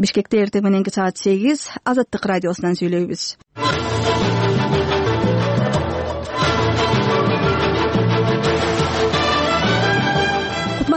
Бишкекте эртең мененки саат 8 Азаттык радиосунан сүйлөйбүз.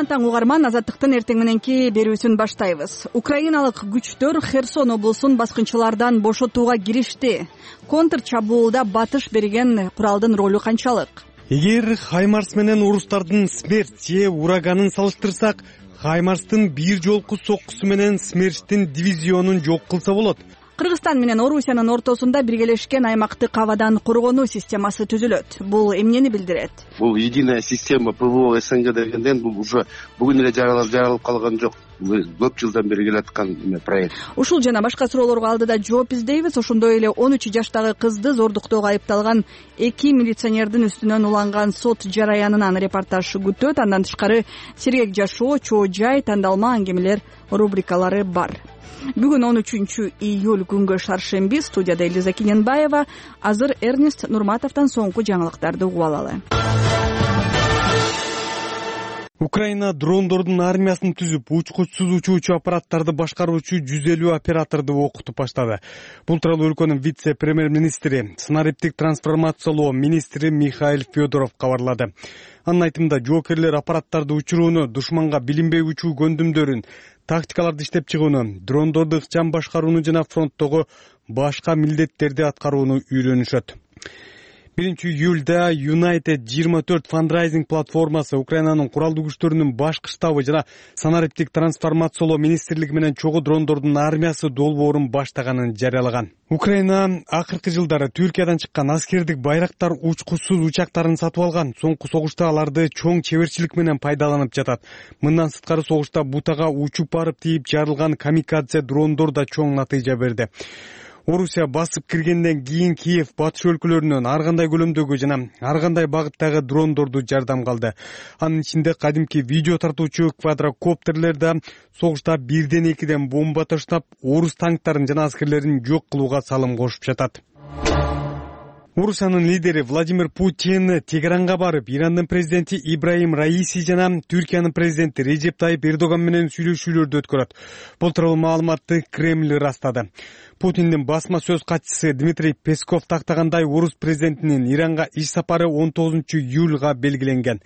Таң угарман, Азаттыктын эртең мененки берүүсүн баштайбыз. Украиналык күчтөр Херсон облусун баскынчылардан бошотууга киришти. Контр чабуулда батыш берген куралдын ролу канчалык? Эгер Хаймарс менен орустардын Смерч же ураганын салыштырсак, Хаймарстын бир жолку соккусу менен Смерчтин дивизионун жок кылса болот. Кыргызстан менен Орусиянын ортосунда биргелешкен аймактык абадан коргонуу системасы түзүлөт. Бул эмнени билдирет? Бул единая система ПВО СНГ дегенден бул уже бүгүн эле жаралып калган жок. Көп жылдан бери келаткан проект. Ушул жана башка суроолорго алдыда жооп издейбиз. Ошондой эле 13 жаштагы кызды зордуктоого айыпталган 2 милиционердин үстүнөн уланган сот жараянынан репортаж күтөт. Андан тышкары сергек жашоо, чоо жай, тандалма аңгемелер рубрикалары бар. Бүгүн 13 июль күнгө шаршемби. Студияда Элиза Киненбаева. Азыр Эрнест Нурматовдон соңку жаңылыктарды угуп алалы. Украина дрондордун армиясын түзүп, учкучсуз учуучу аппараттарды башкаруучу 150 операторду окутуп баштады. Бул тууралуу өлкөнүн вице-премьер-министри, санариптик трансформациялоо министри Михаил Федоров кабарлады. Анын айтымында, жоокерлер аппараттарды учурууну, душманга билинбей учуу көндүмдөрүн, тактикаларды иштеп чыгууну, дрондорду ыкчам башкарууну жана фронттогу башка милдеттерди аткарууну үйрөнүшөт. 1-июлда United 24 фандрайзинг платформасы Украинанын куралдуу күчтөрүнүн башкы штабы жана санариптик трансформациялоо министрлиги менен чогуу дрондордун армиясы долбоорун баштаганын жарыялаган. Украина акыркы жылдары Түркиядан чыккан аскердик байрактар учкучсуз учактарын сатып алган. Соңку согушта аларды чоң чеберчилик менен пайдаланып жатат. Мындан сырткары согушта бутага учуп барып тийип жарылган камикадзе дрондор да чоң натыйжа берди. Орусия басып киргенден кийин Киев батыш өлкөлөрүнөн ар кандай көлөмдөгү жана ар кандай багыттагы дрондорду жардам калды. Анын ичинде кадимки видео тартуучу квадрокоптерлер да согушта 1-2 бомба таштап, орус танктарын жана аскерлерин жок кылууга салым кошуп жатат. Орусиянын лидери Владимир Путин Тегеранга барып, Ирандын президенти Ибрахим Раиси жана Түркиянын президенти Режеп Тайип Эрдоган менен сүйлөшүүлөрдү өткөрөт. Бул тууралуу маалыматты Кремль ырастады. Путиндин басма сөз катчысы Дмитрий Песков тактагандай, орус президентинин Иранга иш сапары 19 июлга белгиленген.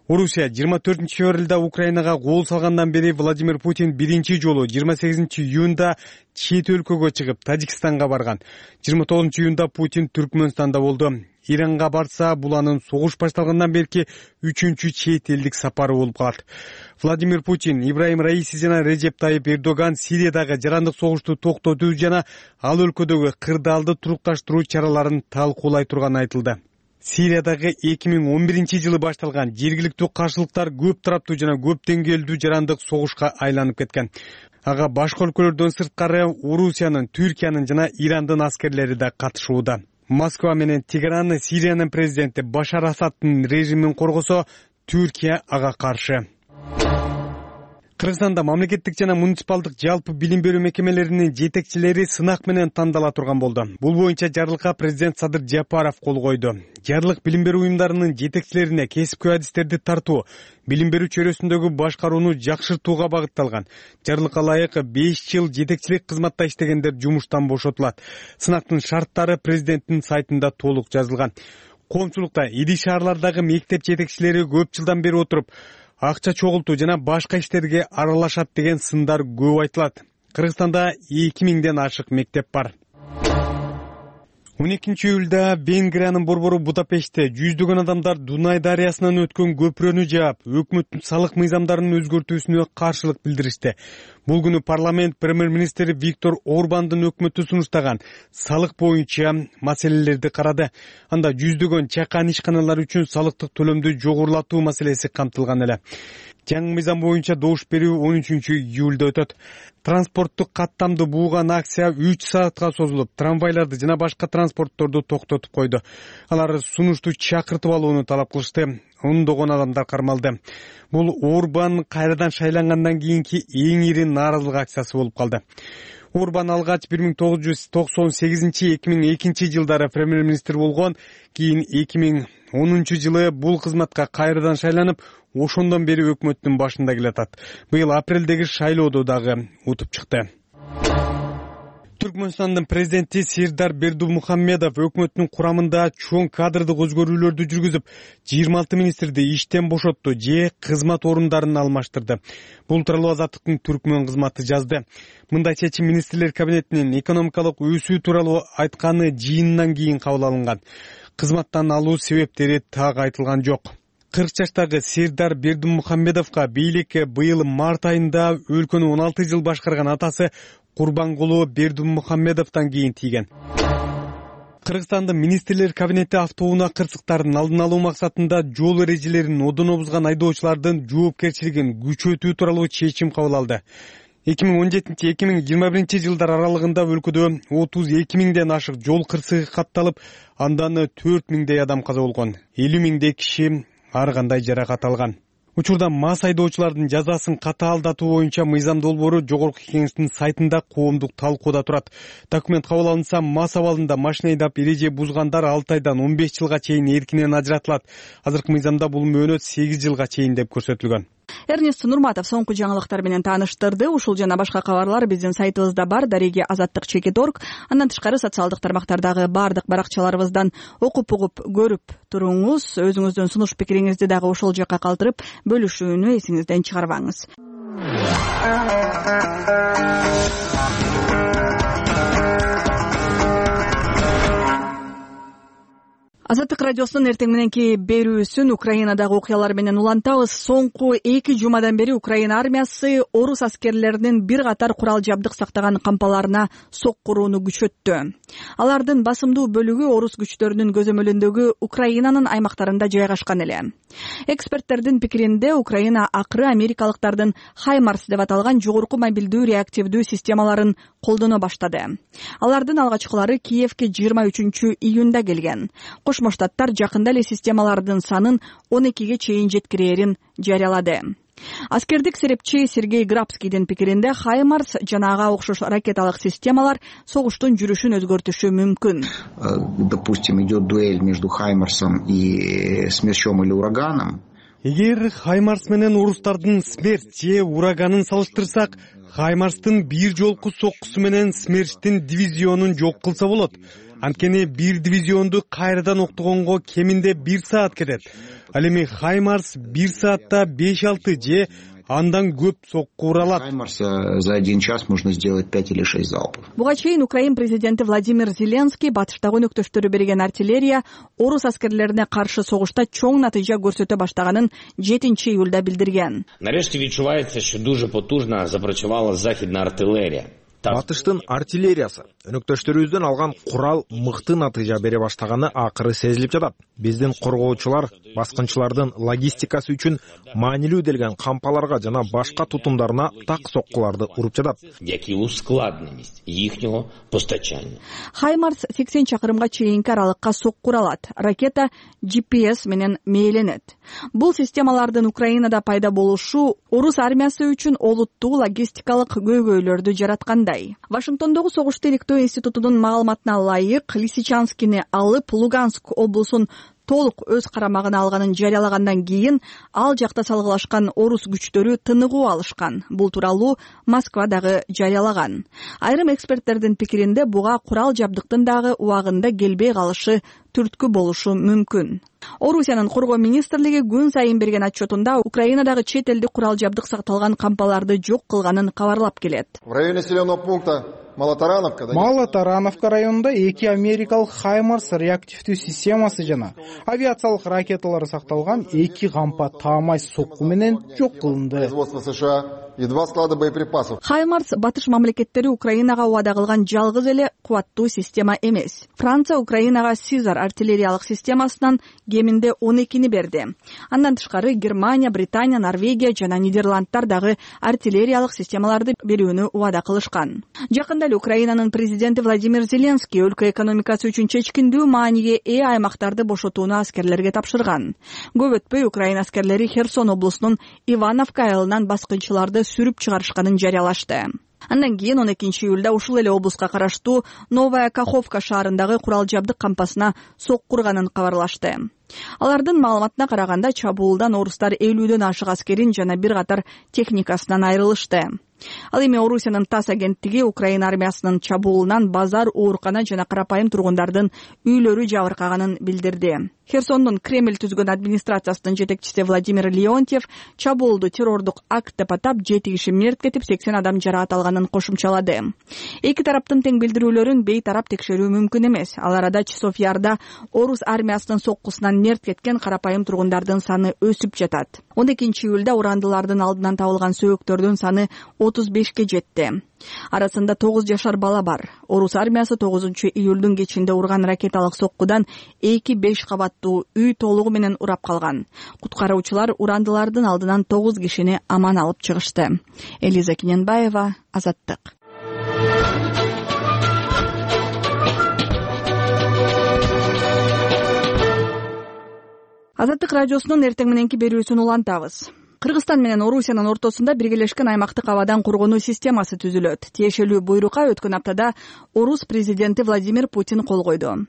Орусия 24 февралда Украинага кол салгандан бери Владимир Путин биринчи жолу 28 июнда чет өлкөгө чыгып, Тажикстанга барган. 29 июнда Путин Түркмөнстанда болду. Иранга барса, бул анын согуш башталгандан берки 3-чү чет элдик сапары болуп калат. Владимир Путин, Ибрахим Раиси жана Режеп Тайип Эрдоган Сириядагы жарандык согушту токтотуу жана ал өлкөдөгү кырдаалды турукташтыруу чараларын талкуулай турганы айтылды. Сириядагы 2011 жылы башталган жергиликтүү каршылыктар көп тараптуу жана көп деңгээлдүү жарандык согушка айланып кеткен. Ага башка өлкөлөрдөн сырткары Орусиянын, Түркиянын жана Ирандын аскерлери да катышууда. Москва менен Тегеран Сириянын президенти Башар Асаддын режимин коргосо, Түркия ага каршы. Кыргызстанда мамлекеттик жана муниципалдык жалпы билим берүү мекемелеринин жетекчилери сынак менен тандала турган болду. Бул боюнча жарлыкка президент Садыр Жапаров кол койду. Жарлык билим берүү уюмдарынын жетекчилерине кесипкөй адистерди тартуу, билим берүү чөйрөсүндөгү башкарууну жакшыртууга багытталган. Жарлыкка ылайык 5 жыл жетекчилик кызматта иштегендер жумуштан бошотулат. Сынактын шарттары президенттин сайтында толук жазылган. Коомчулукта ири шаарлардагы мектеп жетекчилери көп жылдан бери отуруп, акча чогултуу жана башка иштерге аралашат деген сындар көп айтылат. Кыргызстанда 2000ден ашык мектеп бар. 12 июлда Венгриянын борбору Будапештте жүздөгөн адамдар Дунай дарыясынан өткөн көпүрөнү жаап, өкмөттүн салык мыйзамдарын өзгөртүүсүнө каршылык билдиришти. Бул күнү парламент премьер-министри Виктор Орбандын өкмөтү сунуштаган салык боюнча маселелерди карады. Анда жүздөгөн чакан ишканалар үчүн салыктык төлөмдү жогорулатуу маселеси камтылган эле. Жаңы мыйзам боюнча добуш берүү 13 июлда өтөт. Транспорттук каттамды бууган акция 3 саатка созулуп, трамвайларды жана башка транспортторду токтотуп койду. Алар сунушту чакыртып алууну талап кылышты. Ондогон адамдар кармалды. Бул Орбан кайрадан шайлангандан кийинки эң ири нааразылык акциясы болуп калды. Орбан алгач 1998-2002 жылдары премьер-министр болгон, кийин 2010 жылы бул кызматка кайрадан шайланып, ошондон бери өкмөттүн башында келатат. Быйыл апрелдеги шайлоодо дагы утуп чыкты. Түркмөнстандын президенти Сирдар Бердумухаммедов өкмөттүн курамында чоң кадрдык өзгөрүүлөрдү жүргүзүп, 26 министрди иштен бошотту же кызмат орундарын алмаштырды. Бул тууралуу Азаттыктын Түркмөн кызматы жазды. Мындай чечим министрлер кабинетинин экономикалык өсүү тууралуу айтканы жыйынынан кийин кабыл алынган. Кызматтан алуу себептери так айтылган жок. 40 жаштагы Сирдар Бердумухаммедовго бийликке быйыл март айында өлкөнү 16 жыл башкарган атасы Курбангулу Бердумухаммедовдон кийин тийген. Кыргызстандын министрлер кабинети автоунаа кырсыктарын алдын алуу максатында жол эрежелерин одоно бузган айдоочулардын жоопкерчилигин күчөтүү тууралуу чечим кабыл алды. 2017-2021 жылдар аралыгында өлкөдө 32 миңден ашык жол кырсыгы катталып, андан 4 миңдей адам каза болгон, 50 миңдей киши ар кандай жаракат алган. Учурда мас айдоочулардын жазасын катаалдатуу боюнча мыйзам долбоору Жогорку Кеңештин сайтында коомдук талкууда турат. Документ кабыл алынса, мас абалында машина айдап эреже бузгандар 6 айдан 15 жылга чейин эркинен ажыратылат. Азыркы мыйзамда бул мөөнөт 8 жылга чейин деп көрсөтүлгөн. Эрнест Нурматов соңку жаңылыктар менен тааныштырды. Ушул жана башка кабарлар биздин сайтыбызда бар, @azattik.org. Андан тышкары социалдык тармактардагы бардык баракчаларыбыздан окуп угуп көрүп туруңуз. Өзүңүздүн сунуш пикириңизди дагы ошол жакка калтырып бөлүшүүнү эсиңизден чыгарбаңыз. Азаттык радиосунун эртең мененки берүүсүн Украинадагы окуялар менен улантабыз. Соңку 2 жумадан бери Украина армиясы орус аскерлеринин бир катар курал жабдык сактаган кампаларына соккурууну күчөттү. Алардын басымдуу бөлүгү орус күчтөрүнүн көзөмөлүндөгү Украинанын аймактарында жайгашкан эле. Эксперттердин пикиринде Украина акыры америкалыктардын Хаймарс деп аталган жогорку мобилдүү реактивдүү системаларын колдоно баштады. Алардын алгачкылары Киевке 23 июнда келген. Кошмо Штаттар жакында эле системалардын санын 12ге чейин жеткирээрин жарыялады. Аскердик серепчи Сергей Грабскийдин пикиринде Хаймарс жана ага окшош ракеталык системалар согуштун жүрүшүн өзгөртүшү мүмкүн. Допустим, идет дуэль между Хаймарсом и Смерчом или Ураганом. Эгер Хаймарс менен орустардын Смерч же Ураганын салыштырсак, Хаймарстын бир жолку соккусу менен Смерчтин дивизионун жок кылса болот. Анткени бир дивизионду кайрадан октогонго кеминде 1 саат кетет. Ал эми Хаймарс 1 саатта 5-6 же андан көп сокку ура алат. Хаймарс за 1 час можно сделать 5 или 6 залпов. Буга чейин Украин президенти Владимир Зеленский батыштагы өнөктөштөрү берген артиллерия орус аскерлерине каршы согушта чоң натыйжа көрсөтө баштаганын 7 июлда билдирген. Нарешті відчувається, що дуже потужно запрацювала західна артилерія. Батыштын артиллериясы өнөктөштөрүбүздөн алган курал мыкты натыйжа бере баштаганы акыры сезилип жатат. Биздин коргоочулар баскынчылардын логистикасы үчүн маанилүү делген кампаларга жана башка тутумдарына так соккуларды уруп жатат. Які ускладненість їхнього постачання. Хаймарс 80 чакырымга чейинки аралыкка соккура алат. Ракета GPS менен мээленет. Бул системалардын Украинада пайда болушу орус армиясы үчүн олуттуу логистикалык көйгөйлөрдү жараткандай. Вашингтондогу согушту иликтөө институтунун маалыматына ылайык, Лисичанскини алып Луганск облусун толук өз карамагына алганын жарыялагандан кийин ал жакта салгылашкан орус күчтөрү тыныгуу алышкан. Бул тууралуу Москва дагы жарыялаган. Айрым эксперттердин пикиринде буга курал жабдыктын дагы убагында келбей калышы түрткү болушу мүмкүн. Орусиянын коргоо министрлиги күн сайын берген отчетунда Украинадагы чет элдик курал жабдык сакталган кампаларды жок кылганын кабарлап келет. В районе населенного пункта Малотарановка районунда 2 америкалык Хаймарс реактивдүү системасы жана авиациялык ракеталары сакталган 2 кампа таамай сокку менен жок кылынды. и 2 склада боеприпасов. Хаймарс батыш мамлекеттери Украинага убада кылган жалгыз эле кубаттуу система эмес. Франция Украинага Сизар артиллериялык системасынан кеминде 12-ни берди. Андан тышкары Германия, Британия, Норвегия жана Нидерландтар дагы артиллериялык системаларды берүүнү убада кылышкан. Жакында эле Украинанын президенти Владимир Зеленский өлкө экономикасы үчүн чечкиндүү мааниге ээ аймактарды бошотууну аскерлерге тапшырган. Көп өтпөй Украина аскерлери Херсон облусунун Ивановка айылынан баскынчыларды сүрүп чыгарышканын жарыялашты. Андан кийин 12 июлда ушул эле облуска караштуу Новая Каховка шаарындагы курал жабдык кампасына соккурганын кабарлашты. Алардын маалыматына караганда чабуулдан орустар 50дөн ашык аскерин жана бир катар техникасынан айрылышты. Ал эми Орусиянын ТАСС агенттиги Украина армиясынын чабуулунан базар, оорукана жана карапайым тургундардын үйлөрү жабыркаганын билдирди. Херсондун Кремль түзгөн администрациясынын жетекчиси Владимир Леонтьев чабуулду террордук акт деп атап, 7 киши мерт кетип, 80 адам жаракат алганын кошумчалады. Эки тараптын тең билдирүүлөрүн бейтарап текшерүү мүмкүн эмес. Ал арада Часов Ярда орус армиясынын соккусунан мерт кеткен карапайым тургундардын саны өсүп жатат. 12-июлда урандылардын алдынан табылган сөөктөрдүн саны 35ке жетти. Арасында 9 жашар бала бар. Орус армиясы 9-июлдун кечинде урган ракеталык соккудан 2-5 кабаттуу үй толугу менен урап калган. Куткаруучулар урандылардын алдынан 9 кишини аман алып чыгышты. Элиза Киненбаева, Азаттык. Азаттык радиосунун эртең мененки берүүсүн улантабыз. Кыргызстан менен Орусиянын ортосунда биргелешкен аймактык абадан коргонуу системасы түзүлөт. Тиешелүү буйрукка өткөн аптада орус президенти Владимир Путин кол койду.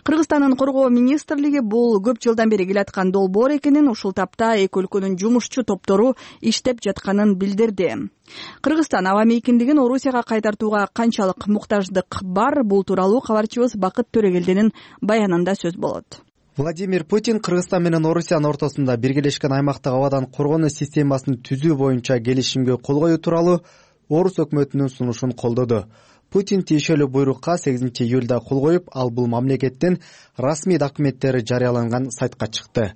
Кыргызстандын коргоо министрлиги бул көп жылдан бери келаткан долбоор экенин, ушул тапта эки өлкөнүн жумушчу топтору иштеп жатканын билдирди. Кыргызстан аба мейкиндигин Орусияга кайтартууга канчалык муктаждык бар, бул тууралуу кабарчыбыз Бакыт Төрөгелдинин баянында сөз болот. Владимир Путин Кыргызстан менен Орусиянын ортосунда биргелешкен аймактык абадан коргонуу системасын түзүү боюнча келишимге кол коюу тууралуу орус өкмөтүнүн сунушун колдоду. Путин тиешелүү буйрукка 8-июлда кол коюп, ал бул мамлекеттин расмий документтери жарыяланган сайтка чыкты.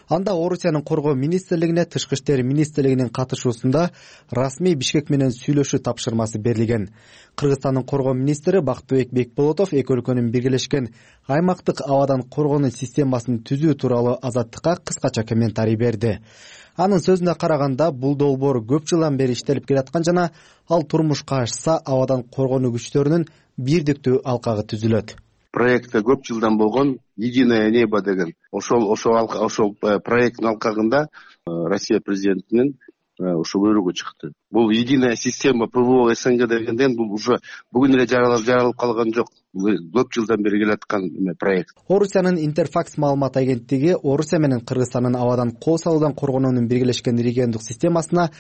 Анда Орусиянын коргоо министрлигине Тышкы иштер министрлигинин катышуусунда расмий Бишкек менен сүйлөшүү тапшырмасы берилген. Кыргызстандын коргоо министри Бактыбек Бекболотов эки өлкөнүн биргелешкен аймактык абадан коргонуу системасын түзүү тууралуу Азаттыкка кыскача комментарий берди. Анын сөзүнө караганда, бул долбоор көп жылдан бери иштелип келаткан жана ал турмушка ашса, абадан коргонуу күчтөрүнүн бирдиктүү алкагы түзүлөт. Проектте көп жылдан болгон «Единое небо» деген ошол проекттин алкагында Россия президентинин ошо буйругу чыкты. Бул единая система ПВО СНГ дегенден бул уже бүгүн эле жаралып калган жок. Көп жылдан бери келаткан проект. Орусиянын Интерфакс маалымат агенттиги Орусия менен Кыргызстандын абадан кол салуудан коргонуунун биргелешкен региондук системасына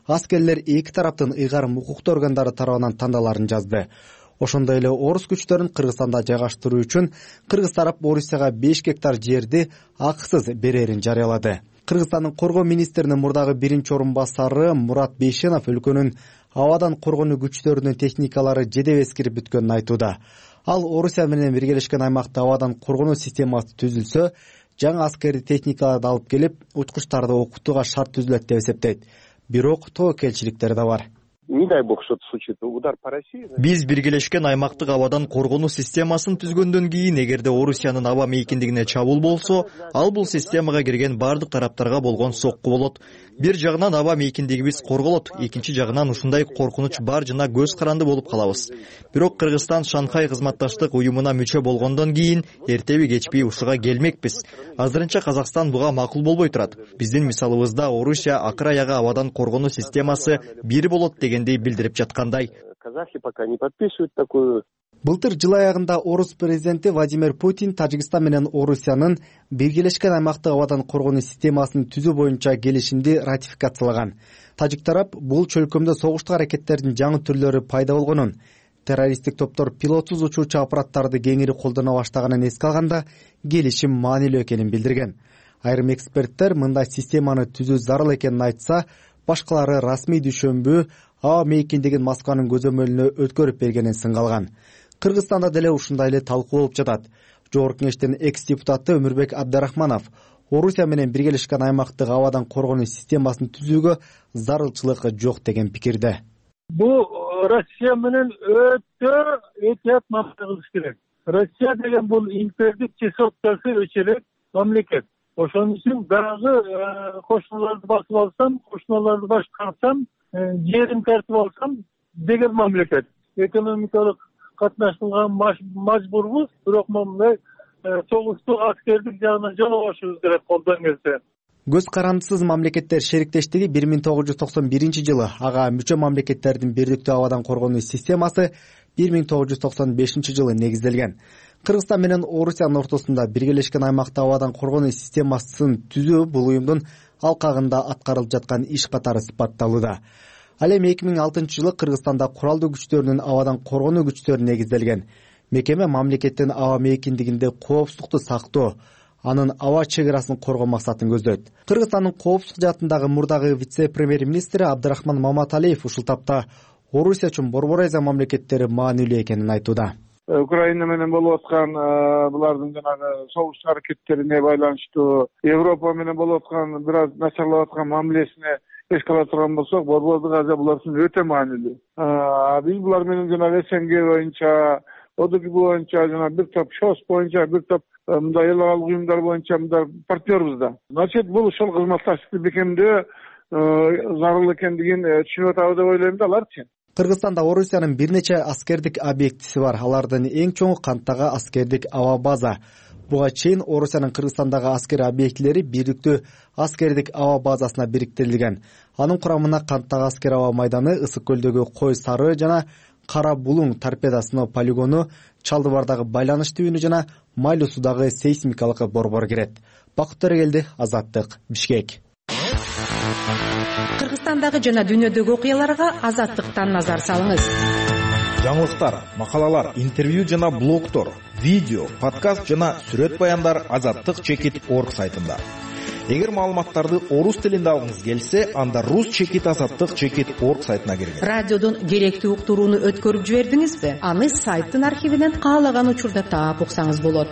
аскерлер эки тараптын ыйгарым укуктуу органдары тарабынан тандаларын жазды. Ошондой эле орус күчтөрүн Кыргызстанда жайгаштыруу үчүн Кыргыз тарап Орусияга 5 гектар жерди акысыз берерин жарыялады. Кыргызстандын коргоо министринин мурдагы биринчи орун басары Мурат Бейшенов өлкөнүн абадан коргонуу күчтөрүнүн техникалары жедеп эскирип бүткөнүн айтууда. Ал Орусия менен биргелешкен аймакта абадан коргонуу системасы түзүлсө, жаңы аскердик техникаларды алып келип, учкучтарды окутууга шарт түзүлөт деп эсептейт. Бирок тобокелчиликтер да бар. Не дай бог что-то случится, удар по России. Биз биргелешкен аймактык абадан коргонуу системасын түзгөндөн кийин, эгерде Орусиянын аба мейкиндигине чабуул болсо, ал бул системага кирген бардык тараптарга болгон сокку болот. Бир жагынан аба мейкиндигибиз корголот, экинчи жагынан ушундай коркунуч бар жана көз каранды болуп калабыз. Бирок Кыргызстан Шанхай кызматташтык уюмуна мүчө болгондон кийин эртеби кечпей ушуга келмекпиз. Азырынча Казакстан буга макул болбой турат. Биздин мисалыбызда Орусия акыр аягы абадан коргонуу системасы бир болот дегендей билдирип жаткандай. Казахи пока не подписывают такую. Былтыр жыл аягында орус президенти Владимир Путин Тажикстан менен Орусиянын биргелешкен аймактык абадан коргонуу системасын түзүү боюнча келишимди ратификациялаган. Тажик тарап бул чөлкөмдө согуштук аракеттердин жаңы түрлөрү пайда болгонун, террористтик топтор пилотсуз учуучу аппараттарды кеңири колдоно баштаганын эске алганда келишим маанилүү экенин билдирген. Айрым эксперттер мындай системаны түзүү зарыл экенин айтса, башкалары расмий düşөнбү аба мейкиндигин Москванын көзөмөлүнө өткөрүп бергенин сынгалган. Кыргызстанда деле ушундай эле талкуу болуп жатат. Жогорку кеңештин экс-депутаты Өмүрбек Абдрахманов Орусия менен биргелешкен аймактык абадан коргонуу системасын түзүүгө зарылчылык жок деген пикирде. Бул Россия менен өтө этият мамиле керек. Россия деген бул импердик чесоткасы өчөлөк мамлекет. Ошон үчүн дагы кошуналарды басып алсам, кошуналарды башкарсам, жерин тартып алсам деген мамлекет. Экономикалык катнашууга мажбурбуз, бирок мындай согуштук аскердик жагынан жолобошубуз керек колдон келсе. Көз карандысыз мамлекеттер шериктештиги 1991 жылы ага мүчө мамлекеттердин бирдиктүү абадан коргонуу системасы 1995 жылы негизделген. Кыргызстан менен Орусиянын ортосунда биргелешкен аймакта абадан коргонуу системасын түзүү бул уюмдун алкагында аткарылып жаткан иш катары сыпатталууда. Ал эми 2006-жылы Кыргызстанда куралдуу күчтөрүнүн абадан коргонуу күчтөрү негизделген. Мекеме мамлекеттин аба мейкиндигинде коопсуздукту сактоо, анын аба чек арасын коргоо максатын көздөйт. Кыргызстандын коопсуздук жаатындагы мурдагы вице-премьер-министри Абдрахман Маматалиев ушул тапта Орусия үчүн Борбор Азия мамлекеттери маанилүү экенин айтууда. Украина менен болуп аткан булардын жанагы согуш аракеттерине байланыштуу, Европа менен болуп аткан бир аз начарлап аткан мамилесине эске ала турган болсок, Борбордук Азия булар үчүн өтө маанилүү. Биз булар менен жанагы СНГ боюнча, ОДКБ боюнча, жана бир топ ШОС боюнча, бир топ мындай эл аралык уюмдар боюнча мындай партнербиз да. Значит, бул ошол кызматташтыкты бекемдөө зарыл экендигин түшүнүп атабыз деп ойлойм да аларчы. Кыргызстанда Орусиянын бир нече аскердик объектиси бар. Алардын эң чоңу Канттагы аскердик аба база. Буга чейин Орусиянын Кыргызстандагы аскер объектилери бийликтүү аскердик аба базасына бириктирилген. Анын курамына Канттагы аскер аба майданы, Ысык көлдөгү Кой Сары жана Кара Булуң торпеда сыноо полигону, Чалдыбардагы байланыш түйүнү жана Майлуу суудагы сейсмикалык борбор кирет. Бакыт Төрөгелди, Азаттык, Бишкек. Кыргызстандагы жана дүйнөдөгү окуяларга Азаттыктан назар салыңыз. Жаңылыктар, макалалар, интервью жана блогтор, видео, подкаст жана сүрөт баяндар azattik.org сайтында. Эгер маалыматтарды орус тилинде алгыңыз келсе, анда rus.azattik.org сайтына киргиз. Радиодон керектүү уктурууну өткөрүп жибердиңизби? Аны сайттын архивинен каалаган учурда таап уксаңыз болот.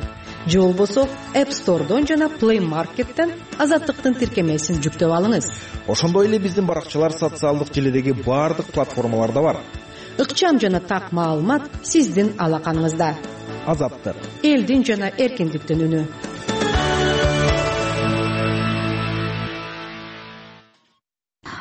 Же болбосо App Store'дон жана Play Market'тен Азаттыктын тиркемесин жүктөп алыңыз. Ошондой эле биздин баракчалар социалдык желидеги баардык платформаларда бар. Ыкчам жана так маалымат сиздин алаканыңызда. Азаттык. Элдин жана эркиндиктин үнү.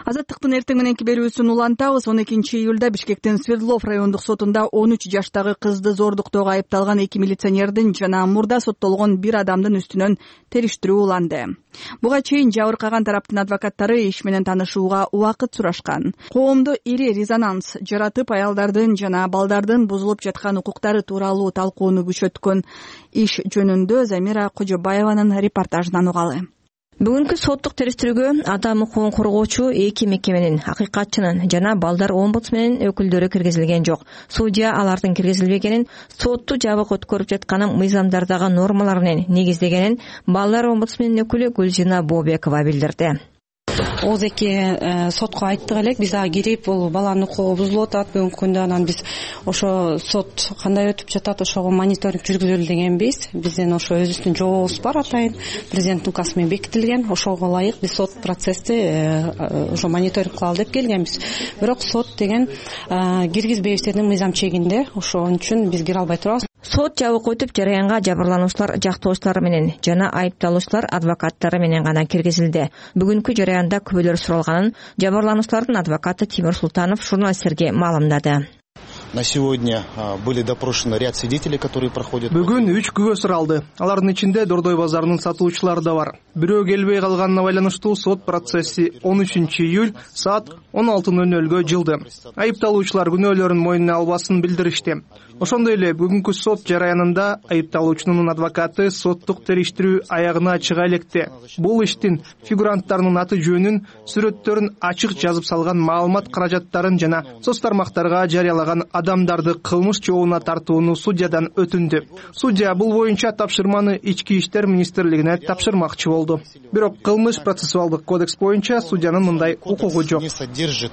Азаттыктын эртең мененки берүүсүн улантабыз. 12 июлда Бишкектин Свердлов райондук сотунда 13 жаштагы кызды зордуктоого айыпталган 2 милиционердин жана мурда соттолгон бир адамдын үстүнөн териштирүү уланды. Буга чейин жабыркаган тараптын адвокаттары иш менен таанышууга убакыт сурашкан. Коомдо ири резонанс жаратып, аялдардын жана балдардын бузулуп жаткан укуктары тууралуу талкууну күчөткөн иш жөнүндө Замира Кожобаеванын репортажынан угалы. Бүгүнкү соттук териштирүүгө адам укугун коргоочу эки мекеменин, акыйкатчынын жана балдар омбудсменин өкүлдөрү киргизилген жок. Судья алардын киргизилбегенин сотту жабык өткөрүп жатканын мыйзамдардагы нормалар менен негиздегенин балдар омбудсменин өкүлү Гүлжина Бообекова билдирди. Ооз эки сотко айттык элек, биз ага кирип, бул баланын укугу бузулуп атат бүгүнкү күндө, анан биз ошо сот кандай өтүп жатат, ошого мониторинг жүргүзөлү дегенбиз. Биздин ошо өзүбүздүн жообубуз бар, атайын президенттин указы менен бекитилген. Ошого ылайык биз сот процессти ошо мониторинг кылалы деп келгенбиз. Бирок сот деген киргизбейбиз деди мыйзам чегинде. Ошон үчүн биз кире албай турабыз. Сот жабык өтүп, жараянга жабырлануучулар жактоочулары менен жана айыпталуучулар адвокаттары менен гана киргизилди. Бүгүнкү жараянда күбөлөр суралганын жабырлануучулардын адвокаты Тимур Султанов журналисттерге маалымдады. На сегодня были допрошены ряд свидетелей, которые проходят. Бүгүн 3 күбө суралды. Алардын ичинде Дордой базарынын сатуучулары да бар. Бирөө келбей калганына байланыштуу сот процесси 13 июль саат 16:00 жылды. Айыпталуучулар күнөөлөрүн мойнуна албасын билдиришти. Ошондой эле бүгүнкү сот жараянында айыпталуучунун адвокаты соттук териштирүү аягына чыга электе. Бул иштин фигуранттарынын аты жөнүн, сүрөттөрүн ачык жазып салган, маалымат каражаттарын жана соц тармактарга жарыялаган адамдарды кылмыш жообуна тартууну судьядан өтүндү. Судья бул боюнча тапшырманы Ички иштер министрлигине тапшырмакчы болду. Бирок кылмыш процессуалдык кодекс боюнча судьянын мындай укугу жок. Не содержит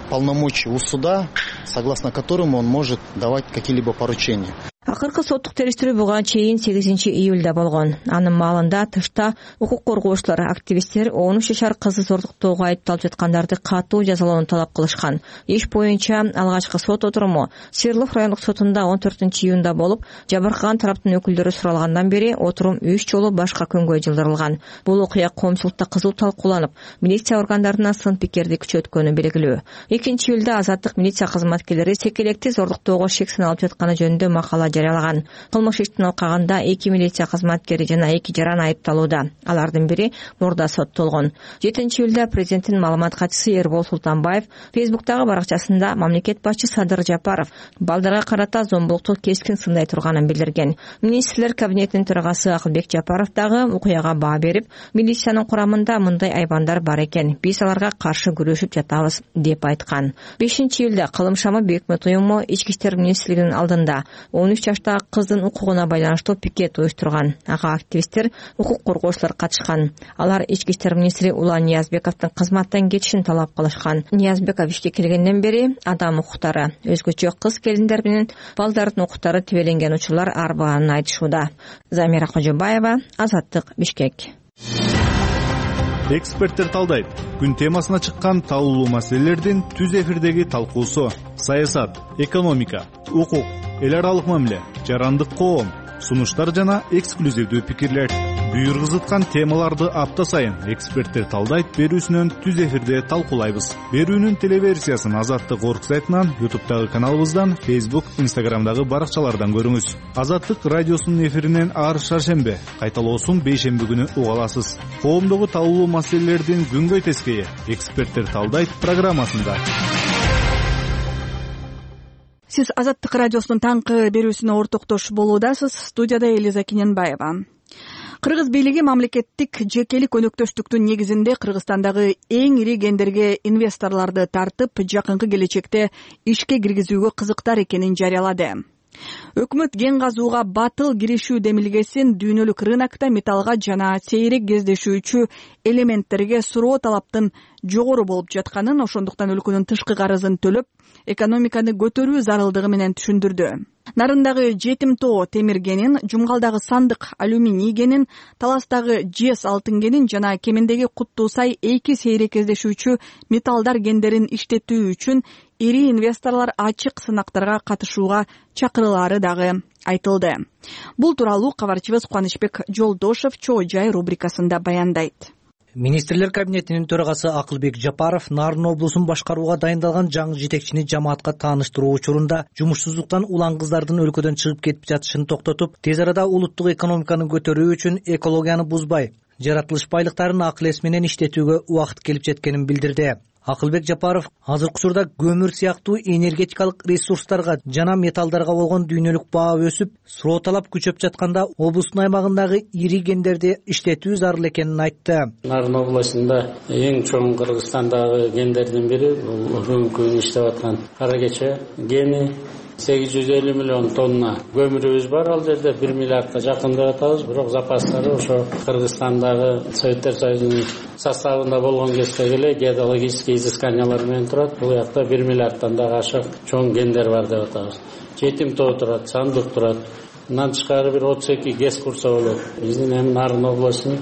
полномочий у суда, согласно которому он может давать какие-либо поручения. Акыркы соттук териштирүү буга чейин 8 июлда болгон. Анын маалында тышта укук коргоочулар, активисттер 13 жашар кызды зордуктоого айыпталып жаткандарды катуу жазалоону талап кылышкан. Иш боюнча алгачкы сот отуруму Свердлов райондук сотунда 14 июнда болуп, жабыркаган тараптын өкүлдөрү суралгандан бери отурум 3 жолу башка күнгө жылдырылган. Бул окуя коомчулукта кызуу талкууланып, милиция органдарына сын пикирди күчөткөнү белгилүү. 2 июлда Азаттык милиция кызматкерлери секелекти зордуктоого шек саналып жатканы жөнүндө макала жарыялаган. Кылмыш иштин алкагында 2 милиция кызматкери жана 2 жаран айыпталууда. Алардын бири мурда соттолгон. 7-июлда президенттин маалымат катчысы Эрбол Султанбаев Фейсбуктагы баракчасында мамлекет башчы Садыр Жапаров балдарга карата зомбулукту кескин сындай турганын билдирген. Министрлер кабинетинин төрагасы Акылбек Жапаров дагы окуяга баа берип, милициянын курамында мындай айбандар бар экен, биз аларга каршы күрөшүп жатабыз деп айткан. 5-июлда Кылым шамы Бекмет уюму Ички иштер министрлигинин алдында 13 жаштагы кыздын укугуна байланыштуу пикет уюштурган. Ага активисттер, укук коргоочулар катышкан. Алар Ички иштер министри Улан Ниязбековдун кызматтан кетишин талап кылышкан. Ниязбеков ишке келгенден бери адам укуктары, өзгөчө кыз келиндер менен балдардын укуктары тебеленген учурлар арбаганын айтышууда. Замира Кожобаева, Азаттык, Бишкек. Эксперттер талдайт. Күн темасына чыккан талуулуу маселелердин түз эфирдеги талкуусу: саясат, экономика, укук, эл аралык мамиле, жарандык коом, сунуштар жана эксклюзивдүү пикирлер. Буйргузуткан темаларды апта сайын эксперттер талдайт берүүсүнөн түз эфирде талкуулайбыз. Берүүнүн телеверсиясын Азаттык орг сайтынан, YouTube'дагы каналыбыздан, Facebook, Instagram'дагы баракчалардан көрүңүз. Азаттык радиосунун эфиринен ар шаршембе, кайталоосун бейшемби күнү уга аласыз. Коомдогу талуулуу маселелердин күнгөй тескейи эксперттер талдайт программасында. Сиз Азаттык радиосунун таңкы берүүсүнө ортоктош болуудасыз. Студияда Элиза Кененбаева. Кыргыз бийлиги мамлекеттик жекелик өнөктөштүктүн негизинде Кыргызстандагы эң ири кендерге инвесторлорду тартып, жакынкы келечекте ишке киргизүүгө кызыктар экенин жарыялады. Өкмөт кен казууга батыл киришүү демилгесин дүйнөлүк рынокто металлга жана сейрек кездешүүчү элементтерге суроо талаптын жогору болуп жатканын, ошондуктан өлкөнүн тышкы карызын төлөп, экономиканы көтөрүү зарылдыгы менен түшүндүрдү. Нарындагы жетим тоо темир кенин, Жумгалдагы сандык алюминий кенин, Таластагы жез алтын кенин жана Кемендеги Куттуу Сай эки сейрек кездешүүчү металлдар кендерин иштетүү үчүн ири инвесторлор ачык сынактарга катышууга чакырылаары дагы айтылды. Бул тууралуу кабарчыбыз Кубанычбек Жолдошев Чоо жай рубрикасында баяндайт. Министрлер кабинетинин төрагасы Акылбек Жапаров Нарын облусун башкарууга дайындалган жаңы жетекчини жамаатка тааныштыруу учурунда жумушсуздуктан улан кыздардын өлкөдөн чыгып кетип жатышын токтотуп, тез арада улуттук экономиканы көтөрүү үчүн экологияны бузбай, жаратылыш байлыктарын акыл эс менен иштетүүгө убакыт келип жеткенин билдирди. Акылбек Жапаров азыркы учурда көмүр сыяктуу энергетикалык ресурстарга жана металлдарга болгон дүйнөлүк баа өсүп, суроо талап күчөп жатканда облустун аймагындагы ири кендерди иштетүү зарыл экенин айтты. Нарын областында эң чоң Кыргызстандагы кендердин бири бул бүгүнкү күнү иштеп аткан кара кече кени. 850 миллион тонна көмүрүбүз бар, ал жерде 1 миллиардка жакын деп атабыз, бирок запастары ошо Кыргызстандагы Советтер Союзунун составында болгон кезге эле геологический изысканиялар менен турат. Бул жакта 1 миллиардтан дагы ашык чоң кендер бар деп атабыз. Жетим тоо турат, сандык турат. Мындан тышкары бир 32 ГЭС курса болот. Биздин эми Нарын областынын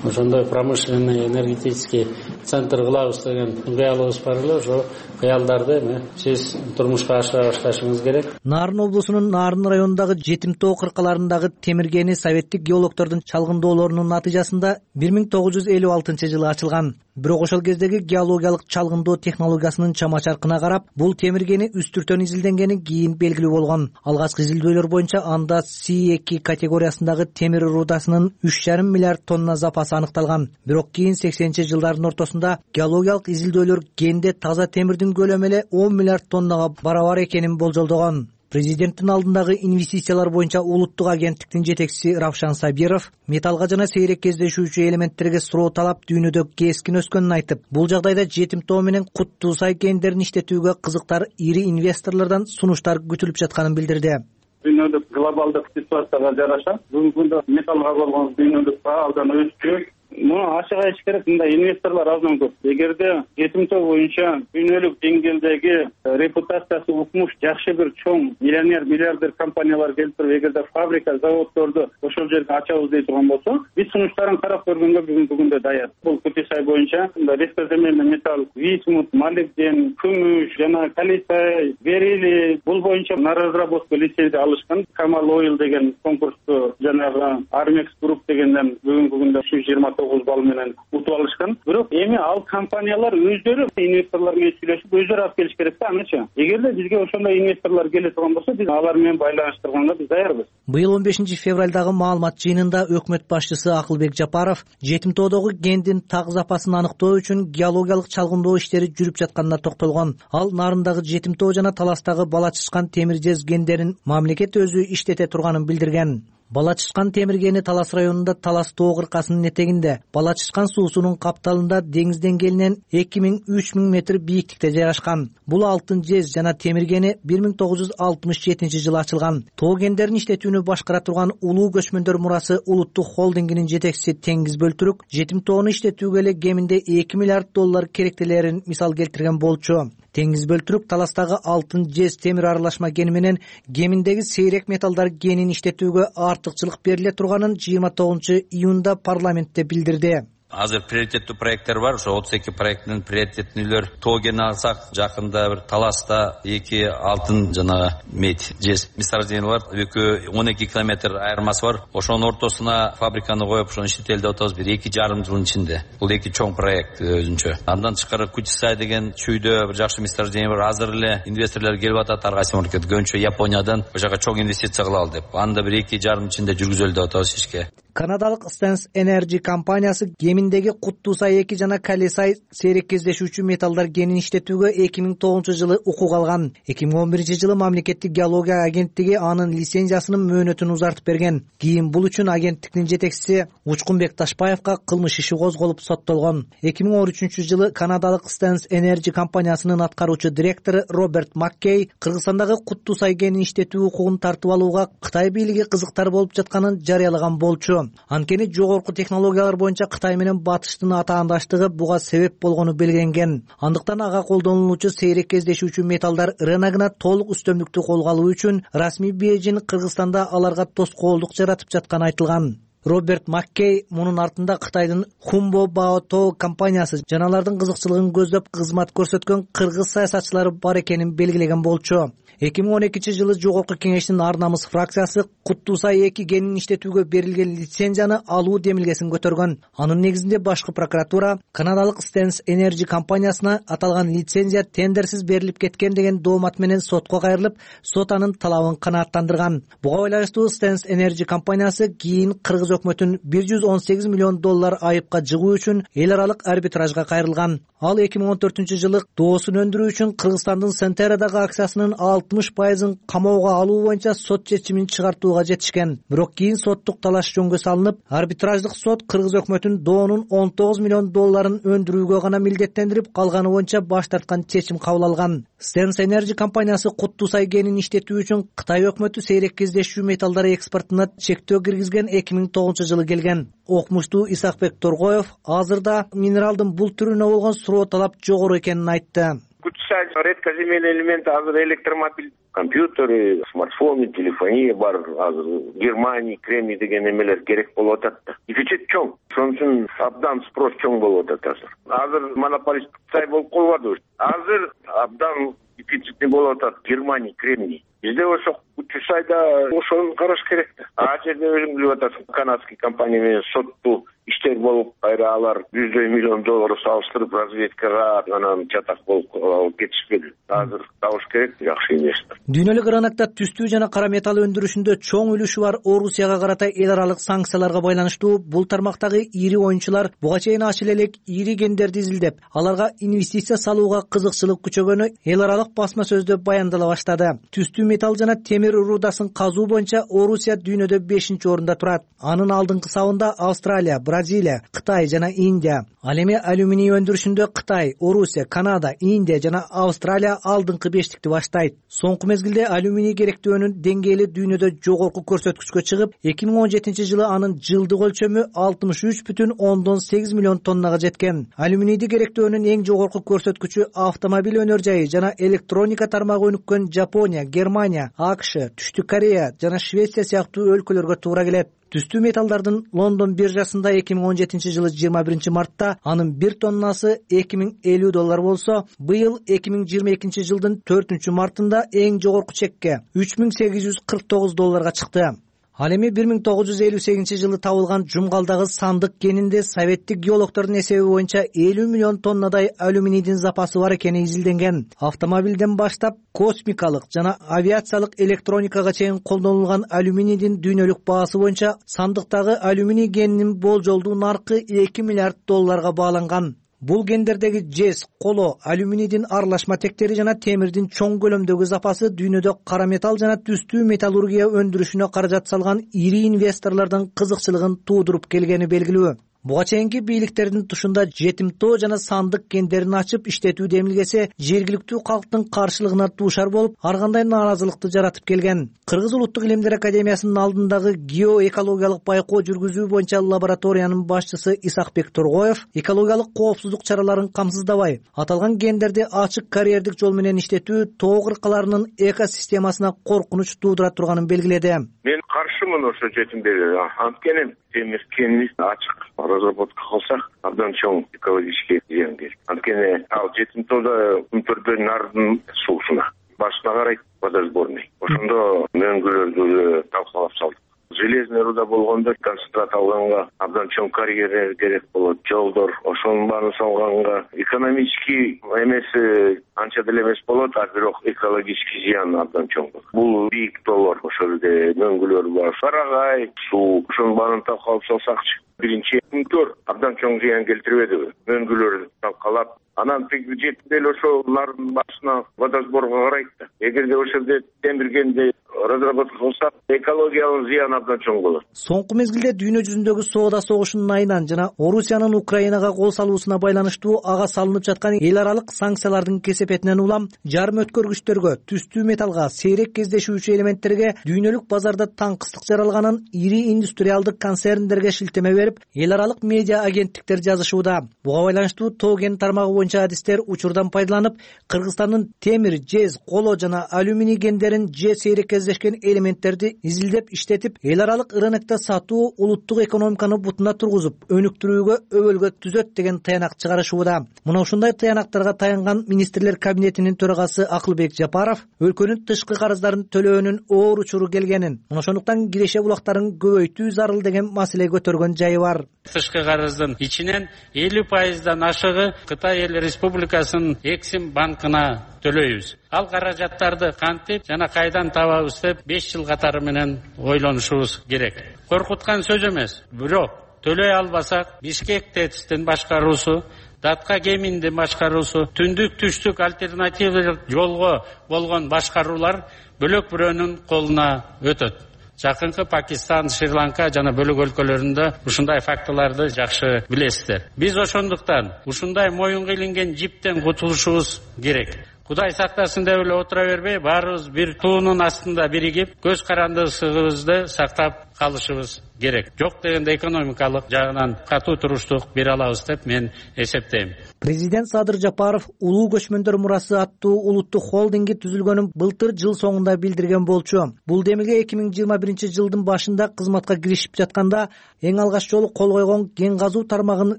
ошондой промышленный энергетический центр кылабыз деген кыялыбыз бар эле. Ошо кыялдарды эми сиз турмушка ашыра башташыңыз керек. Нарын облусунун Нарын районундагы жетим тоо кыркаларындагы темир кени советтик геологдордун чалгындоолорунун натыйжасында 1956-жылы ачылган. Бирок ошол кездеги геологиялык чалгындоо технологиясынын чама-чаркына карап, бул темир кени үстүртөн изилденгени кийин белгилүү болгон. Алгачкы изилдөөлөр боюнча анда C2 категориясындагы темир рудасынын 3,5 миллиард тонна запасы аныкталган. Бирок кийин 80-жылдардын ортосунда геологиялык изилдөөлөр кенде таза темирдин көлөмү эле 10 миллиард тоннага барабар экенин болжолдогон. Президенттин алдындагы инвестициялар боюнча улуттук агенттиктин жетекчиси Равшан Сабиров металлга жана сейрек кездешүүчү элементтерге суроо талап дүйнөдө кескин өскөнүн айтып, бул жагдайда жетим тоо менен Куттуу Сай кендерин иштетүүгө кызыктар ири инвесторлордон сунуштар күтүлүп жатканын билдирди. Дүйнөлүк глобалдык ситуацияга жараша бүгүнкү күндө металлга болгон дүйнөлүк баа абдан өскөн. Муну ачык айтыш керек, мындай инвесторлор абдан көп. Эгерде жетим тоо боюнча дүйнөлүк деңгээлдеги репутациясы укмуш жакшы бир чоң миллиардер компаниялар келип туруп, эгерде фабрика, заводдорду ошол жерге ачабыз дей турган болсо, биз сунуштарын карап көргөнгө бүгүнкү күндө даяр. Бул Куттуу Сай боюнча редкоземельный металл, висмут, молибден, күмүш жана калиций, берилий, бул боюнча на разработку лицензия алышкан. Камал Ойл деген конкурсту жанагы Armex Group дегенден бүгүнкү күндө 29 9 балл менен утуп алышкан. Бирок эми ал компаниялар өздөрү инвесторлор менен сүйлөшүп өздөрү алып келиш керек да анычы. Эгерде бизге ошондой инвесторлор келе турган болсо, биз алар менен байланыштырганга биз даярбыз. Быйыл 15 февралдагы маалымат жыйынында өкмөт башчысы Акылбек Жапаров жетим тоодогу кендин так запасын аныктоо үчүн геологиялык чалгындоо иштери жүрүп жатканына токтолгон. Ал нарындагы жетим тоо жана Таластагы Бала Чычкан темир жез кендерин мамлекет өзү иштете турганын билдирген. Бала Чычкан темир кени Талас районунда Талас тоо кыркасынын этегинде, Бала Чычкан суусунун капталында деңиз деңгээлинен 2000–3000 метр бийиктикте жайгашкан. Бул алтын жез жана темир кени 1967-жылы ачылган. Тоо кендерин иштетүүнү башкара турган Улуу көчмөндөр мурасы улуттук холдингинин жетекчиси Теңиз Бөлтүрүк жетим тоону иштетүүгө эле кеминде $2 миллиард керектелерин мисал келтирген болчу. Теңиз Бөлтүрүк Таластагы алтын жез темир аралашма кени менен кеминдеги сейрек металлдар кенин иштетүүгө артыкчылык бериле турганын 29-июнда парламентте билдирди. Азыр приоритеттүү проекттер бар. Ошо 32 проекттин приоритеттүүлөр тоо кени алсак, жакында бир Таласта 2 алтын жана медь жез месторождениялар, 12 километр айырмасы бар. Ошонун ортосуна фабриканы коюп, ошону иштетели деп атабыз бир 2,5 жылдын ичинде. Бул 2 чоң проект өзүнчө. Андан тышкары Кучсай деген чүйдө бир жакшы месторождение бар. Азыр эле инвесторлор келип атат, ар кайсы мамлекет көбүнчө Япониядан ошо жака чоң инвестиция кылалы деп. Анда бир 2,5 жылдын ичинде жүргүзөлү деп атабыз ишке. Канадалык Stans Energy компаниясы кеминдеги Куттусай 2 жана Калесай сейрек кездешүүчү металлдар кенин иштетүүгө 2009-жылы укук алган. 2011-жылы мамлекеттик геология агенттиги анын лицензиясынын мөөнөтүн узартып берген. Кийин бул үчүн агенттиктин жетекчиси Учкунбек Ташпаевга кылмыш иши козголуп соттолгон. 2013-жылы канадалык Stans Energy компаниясынын аткаруучу директору Роберт Маккей Кыргызстандагы Куттусай кенин иштетүү укугун тартып алууга Кытай бийлиги кызыктар болуп жатканын жарыялаган болчу. Анткени жогорку технологиялар боюнча Кытай менен Батыштын атаандаштыгы буга себеп болгону белгиленген. Андыктан ага колдонулуучу сейрек кездешүүчү металлдар рыногуна толук үстөмдүктү колго алуу үчүн расмий Бейжин Кыргызстанда аларга тоскоолдук жаратып жатканы айтылган. Роберт Маккей мунун артында Кытайдын Хумбо Баото компаниясы жана алардын кызыкчылыгын көздөп кызмат көрсөткөн кыргыз саясатчылары бар экенин белгилеген болчу. 2012-жылы Жогорку кеңештин Ар намыс фракциясы Куттусай 2 кенин иштетүүгө берилген лицензияны алуу демилгесин көтөргөн. Анын негизинде башкы прокуратура канадалык Stans Energy компаниясына аталган лицензия тендерсиз берилип кеткен деген доомат менен сотко кайрылып, сот анын талабын канааттандырган. Буга байланыштуу Stans Energy компаниясы кийин кыргыз өкмөтүн $118 миллион айыпка жыгуу үчүн эл аралык арбитражга кайрылган. Ал 2014-жылы доосун өндүрүү үчүн Кыргызстандын Сентерадагы акциясынын 60%-ын камоого алуу боюнча сот чечимин чыгартууга жетишкен. Бирок кийин соттук талаш жөнгө салынып, арбитраждык сот кыргыз өкмөтүн доонун $19 миллион өндүрүүгө гана милдеттендирип, калганы боюнча баш тарткан чечим кабыл алган. Stans Energy компаниясы Куттусай кенин иштетүү үчүн Кытай өкмөтү сейрек кездешүү металлдар экспортуна чектөө киргизген 2009-жылы келген. Окумуштуу Исакбек Торгоев азырда минералдын бул түрүнө болгон суроо талап жогору экенин айтты. Кучсай редкоземельный элемент азыр электромобиль, компьютеры, смартфоны, телефония бар. Азыр Германия, кремний деген эмелер керек болуп атат да. Дефицит чоң. Ошон үчүн абдан спрос чоң болуп атат азыр. Азыр монополист Кутай болуп калбады. Азыр абдан дефицитный болуп атат Германия, кремний. Бизде ошо Кучсайда ошону караш керек да. А жерде өзүң билип атасың, канадский компания менен соттуу иштер болуп, кайра алар $100 миллион салыштырып разведкага анан чатак болуп кетишпеди. Азыр табыш керек жакшы инвестор. Дүйнөлүк рынокто түстүү жана кара металл өндүрүшүндө чоң үлүшү бар Орусияга карата эл аралык санкцияларга байланыштуу бул тармактагы ири оюнчулар буга чейин ачыл элек ири кендерди изилдеп, аларга инвестиция салууга кызыкчылык күчөгөнү эл аралык басма сөздө баяндала баштады. Түстүү металл жана темир рудасын казуу боюнча Орусия дүйнөдө 5-орунда турат. Анын алдыңкы сабында Австралия, Бразилия, Кытай жана Индия. Ал эми алюминий өндүрүшүндө Кытай, Орусия, Канада, Индия жана Австралия алдыңкы 5-тикти баштайт. Соңку мезгилде алюминий керектөөнүн деңгээли дүйнөдө жогорку көрсөткүчкө чыгып, 2017-жылы анын жылдык өлчөмү 63,8 миллион тоннага жеткен. Алюминийди керектөөнүн эң жогорку көрсөткүчү автомобиль өнөр жайы жана электроника тармагы өнүккөн Жапония, Германия, AQSh, Түштүк Корея жана Швеция сыяктуу өлкөлөргө туура келет. Түстүү металлдардын Лондон биржасында 2017-жылы 21-мартта анын 1 тоннасы $2050 болсо, быйыл 2022-жылдын 4-мартында эң жогорку чекке $3849 чыкты. Ал эми 1958-жылы табылган Жумгалдагы сандык кенинде советтик геологдордун эсеби боюнча 50 миллион тоннадай алюминийдин запасы бар экени изилденген. Автомобилден баштап космикалык жана авиациялык электроникага чейин колдонулган алюминийдин дүйнөлүк баасы боюнча сандыктагы алюминий кенинин болжолдуу наркы $2 миллиард бааланган. Бул гендердеги жез, коло, алюминийдин аралашма тектери жана темирдин чоң көлөмдөгү запасы дүйнөдө кара металл жана түстүү металлургия өндүрүшүнө каражат салган ири инвесторлордун кызыкчылыгын туудуруп келгени белгилүү. Буга чейинки бийликтердин тушунда жетимтоо жана сандык кендерин ачып иштетүү демилгеси жергиликтүү калктын каршылыгына дуушар болуп, ар кандай нааразылыкты жаратып келген. Кыргыз улуттук илимдер академиясынын алдындагы геоэкологиялык байкоо жүргүзүү боюнча лабораториянын башчысы Исакбек Тургоев экологиялык коопсуздук чараларын камсыздабай, аталган кендерди ачык карьердик жол менен иштетүү тоо кыркаларынын экосистемасына коркунуч туудура турганын белгиледи. Мен каршымын ошо жетимдерге. Анткени темир кенин ачык разработка кылсак абдан чоң экологический зыян келет. Анткени ал жетимтоодо күнтөрдө нардын суусуна башына карайт водосборный. Ошондо мөңгүлөрдү талкалап салдык. Железный руда болгондо концентрат алганга абдан чоң карьера керек болот. Жолдор ошонун баарын салганга экономический эмеси анча деле эмес болот, а бирок экологический зыян абдан чоң болот. Бул бийик тоолор, ошол жерде мөңгүлөр бар, сарагай, суу, ошонун баарын талкалап салсакчы. Биринчи күнтөр абдан чоң зыян келтирбедиби? Мөңгүлөрдү талкалап, анан жетип эле ошол нардын башына водосборго карайт да. Эгерде ошол жерде темир кенди разработка кылса, экологиялык зыян абдан чоң болот. Соңку мезгилде дүйнө жүзүндөгү соода согушунун айынан жана Орусиянын Украинага кол салуусуна байланыштуу ага салынып жаткан эл аралык санкциялардын кесепетинен улам жарым өткөргүчтөргө, түстүү металлга, сейрек кездешүүчү элементтерге дүйнөлүк базарда таңкыстык жаралганын ири индустриалдык концерндерге шилтеме берип, эл аралык медиа агенттиктер жазышууда. Буга байланыштуу тоо кен тармагы боюнча адистер учурдан пайдаланып, Кыргызстандын темир, жез, коло жана алюминий кендерин же сейрек кездешкен элементтерди изилдеп иштетип, эл аралык рынокто сатуу улуттук экономиканы бутуна тургузуп, өнүктүрүүгө өбөлгө түзөт деген таянак чыгарышууда. Мына ушундай таянактарга таянган министрлер кабинетинин төрагасы Акылбек Жапаров өлкөнүн тышкы карыздарын төлөөнүн оор учуру келгенин, мына ошондуктан киреше булактарын көбөйтүү зарыл деген маселе көтөргөн жайы бар. Тышкы карыздын ичинен 50%дан ашыгы Кытай эл республикасынын Эксим банкына төлөйбүз. Ал каражаттарды кантип жана кайдан табабыз деп 5 жыл катары менен ойлонушубуз керек. Коркуткан сөз эмес, бирок төлөй албасак Бишкек ТЭЦтин башкаруусу, Датка кеминдин башкаруусу, түндүк-түштүк альтернативдик жолго болгон башкаруулар бөлөк бирөөнүн колуна өтөт. Жакынкы Пакистан, Шри-Ланка жана бөлөк өлкөлөрүндө ушундай фактыларды жакшы билесиздер. Биз ошондуктан ушундай моюнга илинген жиптен кутулушубуз керек. Кудай сактасын деп эле отура бербей, баарыбыз бир туунун астында биригип, көз карандысыбызды сактап калышыбыз керек. Жок дегенде экономикалык жагынан катуу туруштук бере алабыз деп мен эсептейм. Президент Садыр Жапаров улуу көчмөндөр мурасы аттуу улуттук холдинги түзүлгөнүн былтыр жыл соңунда билдирген болчу. Бул демилге 2021 жылдын башында кызматка киришип жатканда эң алгач жолу кол койгон кен казуу тармагын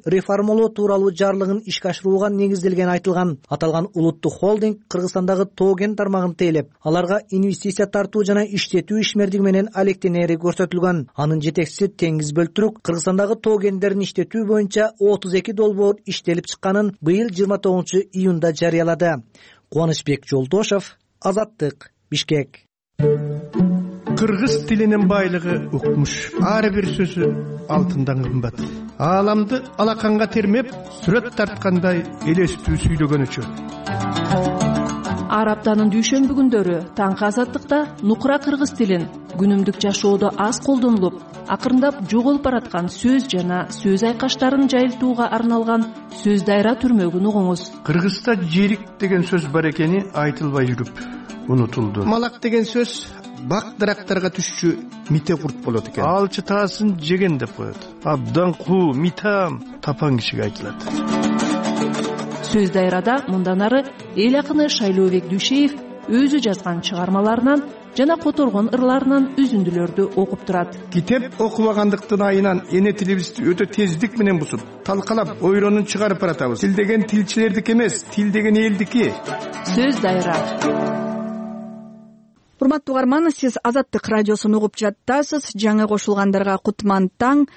реформалоо тууралуу жарлыгын ишке ашырууга негизделгени айтылган. Аталган улуттук холдинг Кыргызстандагы тоо кен тармагын тейлеп, аларга инвестиция тартуу жана иштетүү ишмердиги менен алектенери көрсөтүлгөн. Анын жетекчиси Теңиз Бөлтүрүк Кыргызстандагы тоо кендерин иштетүү боюнча 32 долбоор иштелип чыкканын быйыл 29 июнда жарыялады. Кубанычбек Жолдошов, Азаттык, Бишкек. Кыргыз тилинин байлыгы укмуш. Ар бир сөзү алтындан кымбат. Ааламды алаканга термеп, сүрөт тарткандай элестүү сүйлөгөнүчү. Ар аптанын дүйшөмбү күндөрү таңкы Азаттыкта нукура кыргыз тилин күнүмдүк жашоодо аз колдонулуп, акырындап жоголуп бараткан сөз жана сөз айкаштарын жайылтууга арналган сөз дайра түрмөгүн угуңуз. Кыргызда жерик деген сөз бар экени айтылбай жүрүп унутулду. Малак деген сөз бак дарактарга түшчү мите курт болот экен. Ал чытаасын жеген деп коет. Абдан куу, митам тапан кишиге айтылат. Сөз дайрада мындан ары эл акыны Шайлообек Дүйшеев өзү жазган чыгармаларынан жана которгон ырларынан үзүндүлөрдү окуп турат. Китеп окубагандыктын айынан эне тилибизди өтө тездик менен бузуп, талкалап, ойронун чыгарып баратабыз. Тил деген тилчилердики эмес, тил деген элдики. Сөз дайра. урматтуу угарман, сиз Азаттык радиосун угуп жаттасыз. Жаңы кошулгандарга кутман таң.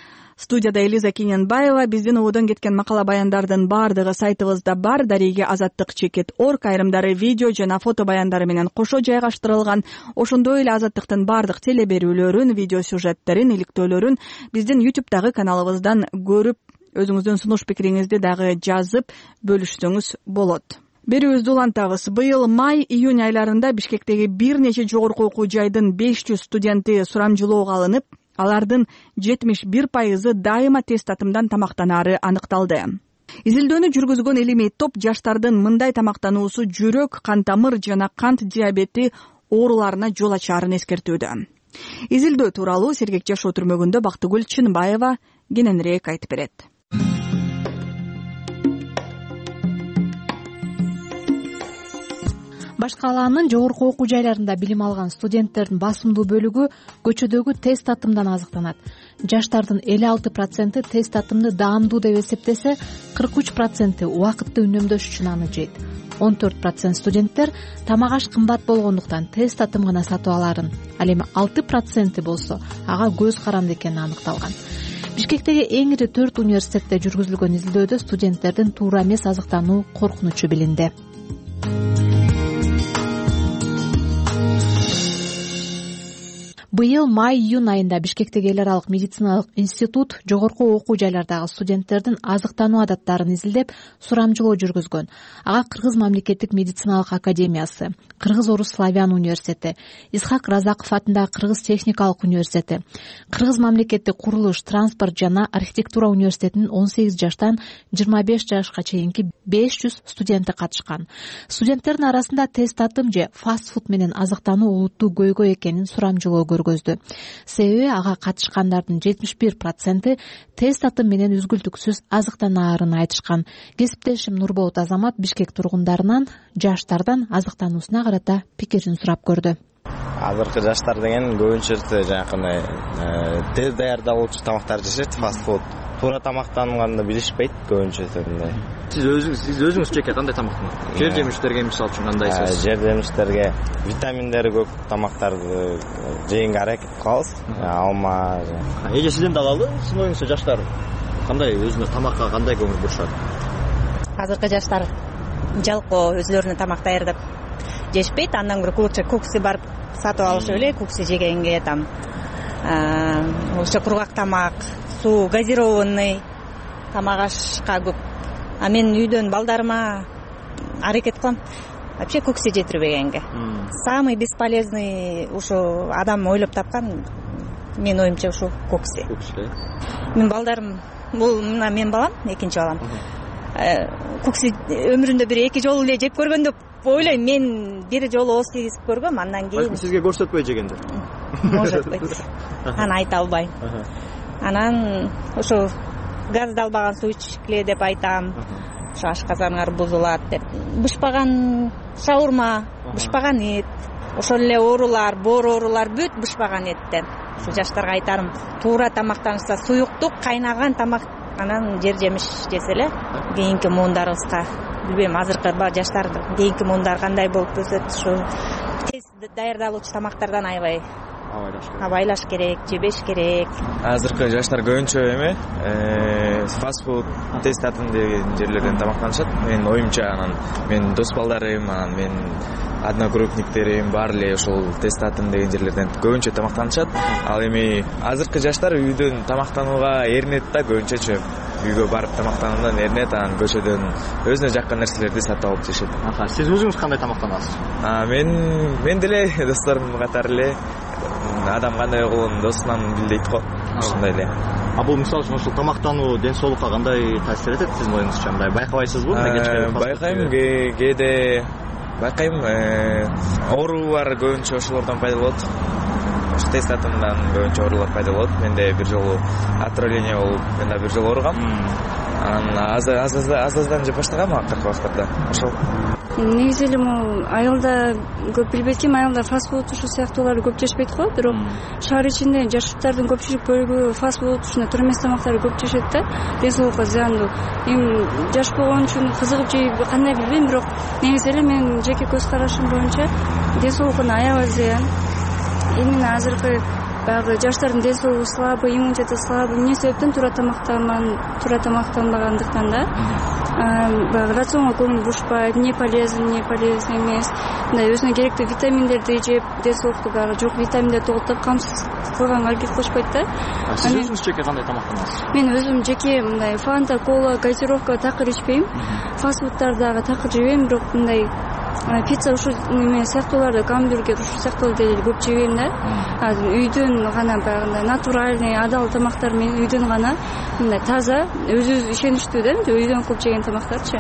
Студияда Элиза Кененбаева. Биздин ободон кеткен макала баяндардын баардыгы сайтыбызда бар. Дареге azattik.org, айрымдары видео жана фото баяндары менен кошо жайгаштырылган. Ошондой эле Азаттыктын баардык теле берүүлөрүн, видео сюжеттерин, иликтөөлөрүн биздин YouTube'дагы каналыбыздан көрүп, өзүңүздүн сунуш пикириңизди дагы жазып бөлүшсөңүз болот. Берүүбүздү улантабыз. Быйыл май-июнь айларында Бишкектеги бир нече жогорку окуу жайдын 500 студенти сурамжылоого алынып, алардын 71% дайыма тест татымдан тамактанаары аныкталды. Изилдөөнү жүргүзгөн илимий топ жаштардын мындай тамактануусу жүрөк, кан тамыр жана кант диабети ооруларына жол ачаарын эскертүүдө. Изилдөө тууралуу Сергек жашоо түрмөгүндө Бактыгүл Чынбаева кененирээк айтып берет. Баш калаанын жогорку окуу жайларында билим алган студенттердин басымдуу бөлүгү көчөдөгү тест татымдан азыктанат. Жаштардын 56% тест татымды даамдуу деп эсептесе, 43% убакытты үнөмдөш үчүн аны жейт. 14% студенттер тамак аш кымбат болгондуктан тест татым гана сатып аларын, ал эми 6% болсо ага көз каранды экени аныкталган. Бишкектеги эң ири 4 университетте жүргүзүлгөн изилдөөдө студенттердин туура эмес азыктануу коркунучу билинди. Быйыл май-июнь айында Бишкектеги эл аралык медициналык институт жогорку окуу жайлардагы студенттердин азыктануу адаттарын изилдеп, сурамжылоо жүргүзгөн. Ага Кыргыз мамлекеттик медициналык академиясы, Кыргыз-Орус славян университети, Исхак Разаков атындагы Кыргыз техникалык университети, Кыргыз мамлекеттик курулуш, транспорт жана архитектура университетинин 18 жаштан 25 жашка чейинки 500 студенти катышкан. Студенттердин арасында тест татым же фастфуд менен азыктануу олуттуу көйгөй экенин сурамжылоо көргөздү. Себеби ага катышкандардын 71% тест татым менен үзгүлтүксүз азыктанаарын айтышкан. Кесиптешим Нурболот Азамат Бишкек тургундарынан жаштардан азыктануусуна карата пикирин сурап көрдү. Азыркы жаштар деген көбүнчөсү жанакындай тез даярдалуучу тамактарды жешет, фастфуд. Туура тамактанганды билишпейт көбүнчөсү мындай. Сиз өзүңүз жеке кандай тамактанасыз? Жер жемиштерге мисалы үчүн кандайсыз? Жер жемиштерге витаминдери көп тамактарды жегенге аракет кылабыз. Алма. Эже сизден дагы алды, сиздин оюңузча жаштар кандай өзүнө тамакка кандай көңүл бурушат? Азыркы жаштар жалпы өзлөрүнө тамак даярдап жешпейт, андан көрө лучше кукси барып сатып алышып эле, кукси жегенге там лучше кургак тамак, суу, газированный тамак ашка көп. А мен үйдөн балдарыма аракет кылам вообще кукси жетирбегенге. Самый бесполезный ушу адам ойлоп тапкан менин оюмча ушу кукси. Мен балдарым, бул мына менин балам, экинчи балам. Кукси өмүрүндө бир эки жолу эле жеп көргөн деп ойлойм. Мен бир жолу ооз тийгизип көргөм, андан кийин сизге көрсөтпөй жегендир. Может быть. Аны айта албайм. Анан ошо газдалбаган суу ичкиле деп айтам. Ошо ашказаныңар бузулат деп. Бышпаган шаурма, бышпаган эт, ошол эле оорулар, боор оорулар бүт бышпаган эттен. Ушу жаштарга айтарым, туура тамактанышса, суюктук, кайнаган тамак, анан жер жемиш жесе эле кийинки муундарыбызга, билбейм, азыркы жаштардын кийинки муундары кандай болуп өсөт, ушу тез даярдалуучу тамактардан абайлаш керек, жебеш керек. Азыркы жаштар көбүнчө эме фастфуд, тест татым деген жерлерден тамактанышат. Менин оюмча, анан менин дос балдарым, анан менин одногруппниктерим баары эле ошол тест татым деген жерлерден көбүнчө тамактанышат. Ал эми азыркы жаштар үйдөн тамактанууга эринет да көбүнчөчү. Үйгө барып тамактануудан эринет, анан көчөдөн өзүнө жаккан нерселерди сатып алып жешет. Сиз өзүңүз кандай тамактанасыз? Мен деле досторум катары эле адам кандай болгонун досунан билдейт го. Ошондой эле. Бул мисалы үчүн ошол тамактануу ден соолукка кандай таасир этет сиздин оюңузча? Мындай байкабайсызбы? Байкайм, кээде байкайм. Оорулар көбүнчө ошолордон пайда болот. Тест татымдан көбүнчө оорулар пайда болот. Менде бир жолу отравление болуп, мен да бир жолу ооругам. Анан аз-аздан жеп баштагам акыркы убактарда. Ошол. Негизи эле могу айылда көп билбейт экенмин, айылда фастфуд ушул сыяктууларды көп жешпейт го, бирок шаар ичинде жаштардын көпчүлүк бөлүгү фастфуд ушундай тура эмес тамактарды көп жешет да, ден соолукка зыяндуу. Эми жаш болгон үчүн кызыгып жейби кандай билбейм, бирок негизи эле менин жеке көз карашым боюнча ден соолукуна аябай зыян. Именно азыркы баягы жаштардын ден соолугу слабый, иммунитети слабый, эмне себептен туура тамактанбагандыктан да. Баягы рационго көңүл бурушпайт, не полезный эмес, мындай өзүнө керектүү витаминдерди жеп, ден соолукту баягы жок витаминдерди тоготуп камсыз кылганга аракет кылышпайт да. Сиз өзүңүз жеке кандай тамактанасыз? Мен өзүм жеке мындай фанта, кола, газировка такыр ичпейм. Фастфудтарды дагы такыр жебейм, бирок мындай пицца ушул эме сыяктууларды, гамбургер ушул сыяктууларды деле көп жебейм да. Үйдөн гана баягындай натуральный, адал тамактар менен үйдөн гана мындай таза, өзүбүз ишеничтүү да, үйдөн көп жеген тамактарчы.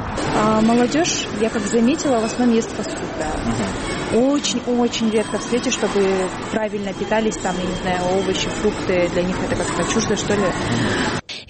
Молодежь, я как заметила, в основном ест фастфуд, да. Очень редко встретишь, чтобы правильно питались, там, я не знаю, овощи, фрукты, для них это как-то чуждо, что ли.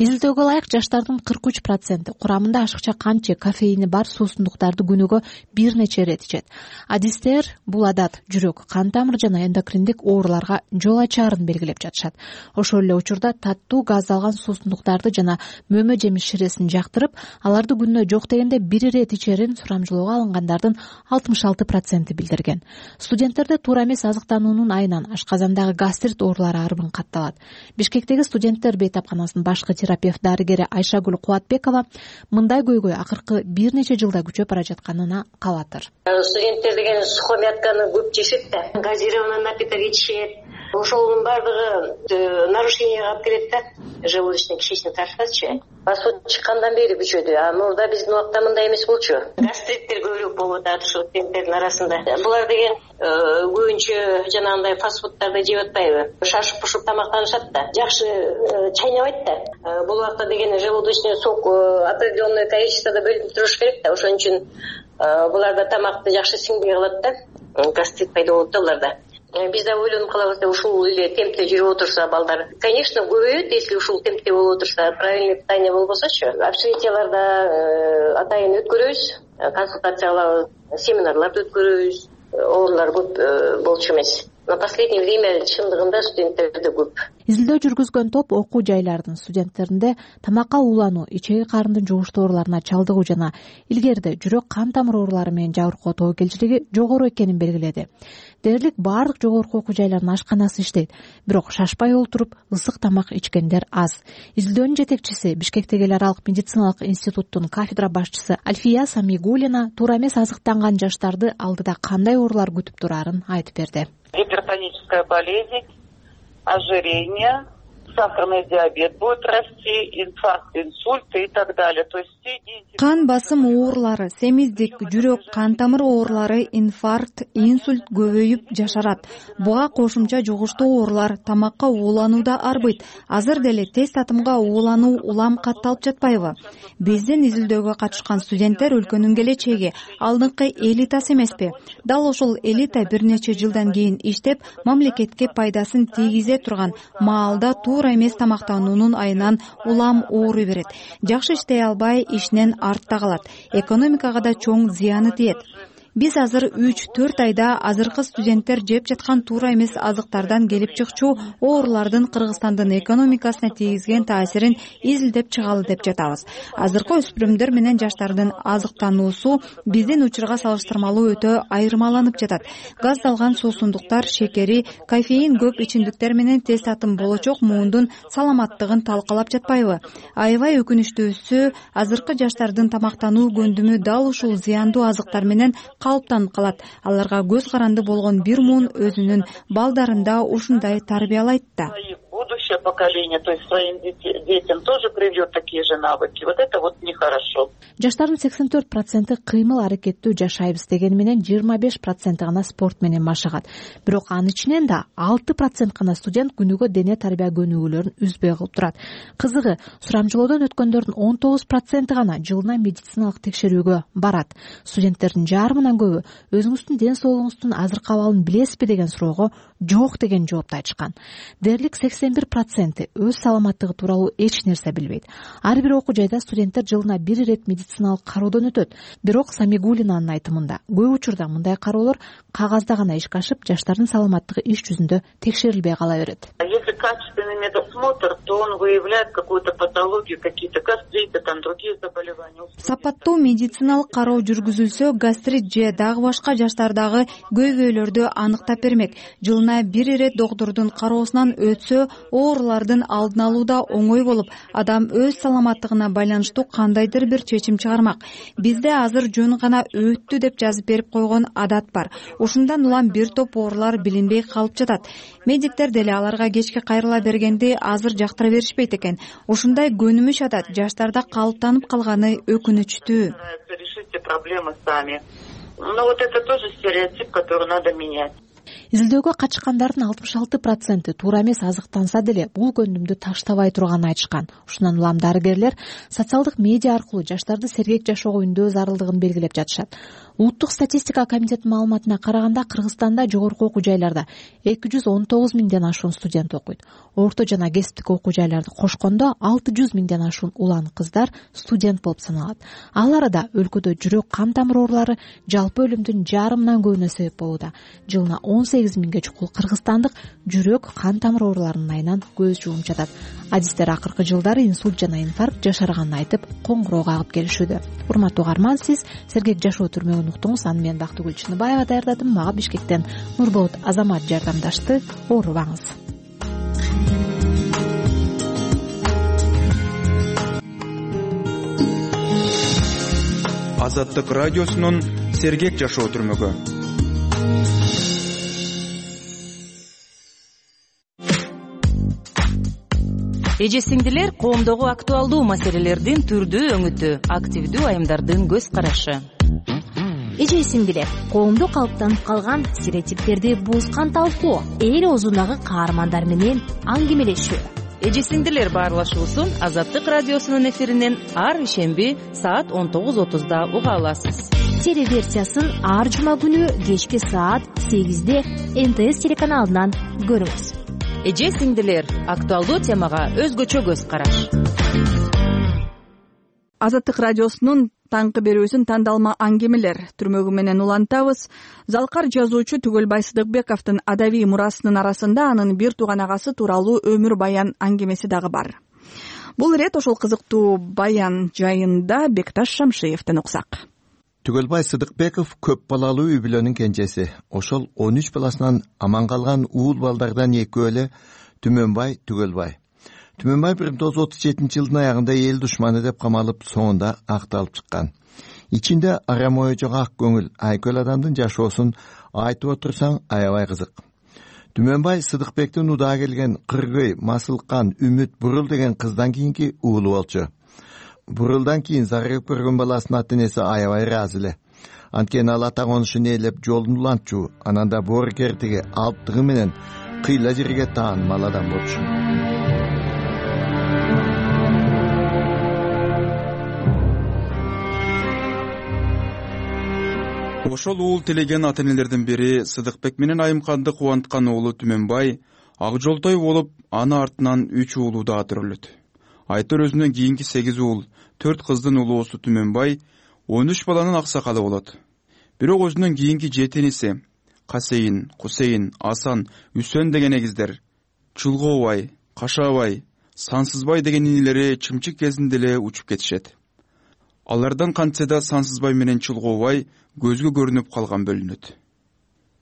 Изилдөөгө ылайык жаштардын 43% курамында ашыкча кант же кофеини бар суусундуктарды күнүгө бир нече ирет ичет. Адистер бул адат жүрөк, кан тамыр жана эндокриндик ооруларга жол ачаарын белгилеп жатышат. Ошол эле учурда таттуу газдалган суусундуктарды жана мөмө жемиш ширесин жактырып, аларды күнүнө жок дегенде бир ирет ичерин сурамжылоого алынгандардын 66% билдирген. Студенттерде туура эмес азыктануунун айынан ашказандагы гастрит оорулары арбын катталат. Бишкектеги студенттер бейтапканасынын башкы терапевт дарыгери Айшагүл Кубатбекова мындай көйгөй акыркы бир нече жылда күчөп бара жатканына кабатыр. Студенттер деген сухомятканы көп жешет да, газированный напиток ичет. Ошонун баардыгы нарушенияга алып келет да, желудочно кишечный трактчы. Фастфуд чыккандан бери күчөдү. Мурда биздин убакта мындай эмес болчу. Гастриттер көбүрөөк болуп атат ушул студенттердин арасында. Булар деген көбүнчө жанагындай фастфудтарды жеп атпайбы? Шашып пушуп тамактанышат да. Жакшы чайнабайт да. Бул убакта деген желудочный сок определенное количествода бөлүнүп туруш керек да. Ошон үчүн буларда тамакты жакшы сиңбей калат да. Гастрит пайда болот да буларда. Биз да ойлонуп калабыз, ушул эле темпте жүрүп отурса балдар, конечно, көбөйөт, если ушул темпте болуп отурса, правильный питание болбосочу. Общежитияларда атайын өткөрөбүз, консультация кылабыз, семинарларды өткөрөбүз, оорулар көп болчу эмес. На последнее время чындыгында студенттерде көп. Изилдөө жүргүзгөн топ окуу жайлардын студенттеринде тамакка уулануу, ичеги карындын жугуштуу ооруларына чалдыгуу жана илгерide жүрөк кан тамыр оорулары менен жабыркоо тобокелчилиги жогору экенин белгиледи. Дээрлик баардык жогорку окуу жайларынын ашканасы иштейт, бирок шашпай олтуруп ысык тамак ичкендер аз. Изилдөөнүн жетекчиси, Бишкектеги эл аралык медициналык институттун кафедра башчысы Альфия Самигулина туура эмес азыктанган жаштарды алдыда кандай оорулар күтүп турарын айтып берди. Гипертоническая болезнь, ожирение, сахарный диабет будет расти, инфаркт, инсульты и так далее. То есть кан басым оорулары, семиздик, жүрөк, кан тамыр оорулары, инфаркт, инсульт көбөйүп жашарат. Буга кошумча жугуштуу оорулар, тамакка ууланууда арбыйт. Азыр деле тез татымга уулануу улам катталып жатпайбы? Биздин изилдөөгө катышкан студенттер өлкөнүн келечеги, алдыңкы элитасы эмеспи? Дал ошол элита бир нече жылдан кийин иштеп, мамлекетке пайдасын тийгизе турган маалда туура эмес тамактануунун айынан улам ооруй берет. Жакшы иштей албай, ишинен артта калат. Экономикага да чоң зыяны тиет. Биз азыр 3-4 айда азыркы студенттер жеп жаткан туура эмес азыктардан келип чыкчу оорулардын Кыргызстандын экономикасына тийгизген таасирин изилдеп чыгалы деп жатабыз. Азыркы өспүрүмдөр менен жаштардын азыктануусу биздин учурга салыштырмалуу өтө айырмаланып жатат. Газдалган суусундуктар, шекери, кофеин көп ичимдиктер менен тез татым болочок муундун саламаттыгын талкалап жатпайбы? Аябай өкүнүчтүүсү, азыркы жаштардын тамактануу көндүмү дал ушул зыяндуу азыктар менен калыптанып калат. Аларга көз каранды болгон бир муун өзүнүн балдарында ушундай тарбиялайт да. Будущее поколение, то есть своим детям тоже привьет такие же навыки. Вот это вот нехорошо. Жаштардын 84% кыймыл аракеттүү жашайбыз дегени менен 25% гана спорт менен машыгат. Бирок анын ичинен да 6% гана студент күнүгө дене тарбия көнүгүүлөрүн үзбөй кылып турат. Кызыгы, сурамжылоодон өткөндөрдүн 19% гана жылына медициналык текшерүүгө барат. Студенттердин жарымынан көбү өзүңүздүн ден соолугуңуздун азыркы абалын билесизби деген суроого жок деген жоопту айтышкан. Дээрлик 81% өз саламаттыгы тууралуу эч нерсе билбейт. Ар бир окуу жайда студенттер жылына 1 ирет медициналык кароодон өтөт. Бирок Самигулинанын айтымында көп учурда мындай кароолор кагазда гана ишке ашып, жаштардын саламаттыгы иш жүзүндө текшерилбей кала берет. Если качественный медосмотр, то он выявляет какую-то патологию, какие-то гастриты, там другие заболевания. Сапаттуу медициналык кароо жүргүзүлсө, гастрит же дагы башка жаштардагы көйгөйлөрдү аныктап бермек. Жылына 1 ирет доктурдун кароосунан өтсө, оорулардын алдын алууда оңой болуп, адам өз саламаттыгына байланыштуу кандайдыр бир чечим чыгармак. Бизде азыр жөн гана өттү деп жазып берип койгон адат бар. Ушундан улам бир топ оорулар билинбей калып жатат. Медиктер деле аларга кечке кайрыла бергенди азыр жактыра беришпейт экен. Ушундай көнүмүш адат жаштарда калыптанып калганы өкүнүчтүү. Решите проблемы сами. Но вот это тоже стереотип, который надо менять. Изилдөөгө катышкандардын 66% туура эмес азыктанса деле бул көндүмдү таштабай турганын айтышкан. Ушундан улам дарыгерлер социалдык медиа аркылуу жаштарды сергек жашоого үндөө зарылдыгын белгилеп жатышат. Улуттук статистика комитетинин маалыматына караганда, Кыргызстанда жогорку окуу жайларда 219 миңден ашуун студент окуйт. Орто жана кесиптик окуу жайларды кошкондо 600 миңден ашуун улан кыздар студент болуп саналат. Ал арада өлкөдө жүрөк кан тамыр оорулары жалпы өлүмдүн жарымынан көбүнө себеп болууда. Жылына 18 миңге чукул кыргызстандык жүрөк кан тамыр ооруларынын айынан көз жумуп жатат. Адистер акыркы жылдары инсульт жана инфаркт жашарганын айтып, коңгуроо кагып келишүүдө. Урматтуу угарман, сиз сергек жашоо түрмөгүн уктуңуз. Аны мен Бактыгүл Чыныбаева даярдадым. Мага Бишкектен Нурболот Азамат жардамдашты. Оорубаңыз. Азаттык радиосунун сергек жашоо түрмөгү. Эже сиңдилер, коомдогу актуалдуу маселелердин түрдүү өңүтү, активдүү айымдардын көз карашы. Эже сиңдилер, коомдо калыптанып калган стереотиптерди бузган талкуу, эл оозундагы каармандар менен аңгемелешүү. Эже сиңдилер баарлашуусун Азаттык радиосунун эфиринен ар ишемби саат 19:30 уга аласыз. Телеверсиясын ар жума күнү кечки саат 8-де НТС телеканалынан көрүңүз. Эже сиңдилер, актуалдуу темага өзгөчө көз караш. Азаттык радиосунун таңкы берүүсүн тандалма аңгемелер түрмөгү менен улантабыз. Залкар жазуучу Түгөлбай Сыдыкбековдун адабий мурасынын арасында анын бир тууган агасы тууралуу өмүр баян аңгемеси дагы бар. Бул ирет ошол кызыктуу баян жайында Бекташ Шамшиевден уксак. Түгөлбай Сыдыкбеков көп балалуу үй бүлөнүн кенжеси. Ошол 13 баласынан аман калган уул балдардан экөөлө Түмөнбай Түгөлбай. Түмөнбай 1937 жылдын аягында эл душманы деп камалып, соңунда акталып чыккан. Ичинде арам ою жок ак көңүл, айкөл адамдын жашоосун айтып отурсаң аябай кызык. Түмөнбай Сыдыкбектин удаа келген Кыргый, Масылкан, Үмүт, Бурул деген кыздан кийинки уулу болчу. Бурулдан кийин зарыгып көргөн баласынын ата-энеси аябай ыраазы эле. Анткени ал ата конушун ээлеп жолун улантчу, анан да боор кертиги алптыгы менен кыйла жерге таанымал адам болчу. Ошол уул тилеген ата-энелердин бири Сыдыкбек менен Айымканды кубанткан уулу Түмөнбай ак жолтой болуп, аны артынан 3 уулу да төрөлөт. Айтор өзүнөн кийинки 8 уул, 4 кыздын улуусу Түмөнбай 13 баланын аксакалы болот. Бирок өзүнөн кийинки 7 иниси Касейин, Кусейин, Асан, Үсөн деген эгиздер, Чулгообай, Кашаабай, Сансызбай деген инилери чымчык кезинде эле учуп кетишет. Алардан кантсе да Сансызбай менен Чулгообай көзгө көрүнүп калган бөлүнөт.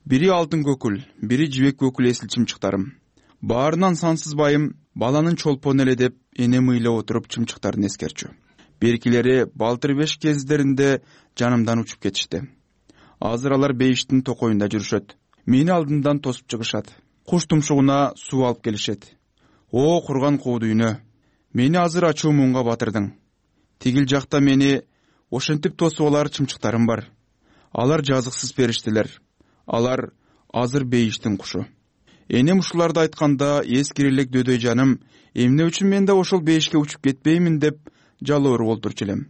Бири алтын көкүл, бири жибек көкүл эсил чымчыктарым. Баарынан Сансызбайым баланын чолпону эле деп эне мыйлап отуруп чымчыктарын эскерчү. Беркилери балтыр 5 кездеринде жанымдан учуп кетишти. Азыр алар бейиштин токоюнда жүрүшөт. Мени алдымдан тосуп чыгышат. Куш тумшугуна суу алып келишет. О, курган куу дүйнө. Мени азыр ачуу муңга батырдың. Тигил жакта мени ошентип тосуп алар чымчыктарым бар. Алар жазыксыз периштелер. Алар азыр бейиштин кушу. Энем ушуларды айтканда эскири элек дөдөй жаным, эмне үчүн мен да ошол бейишке учуп кетпеймин деп жалоору болтурчу элем.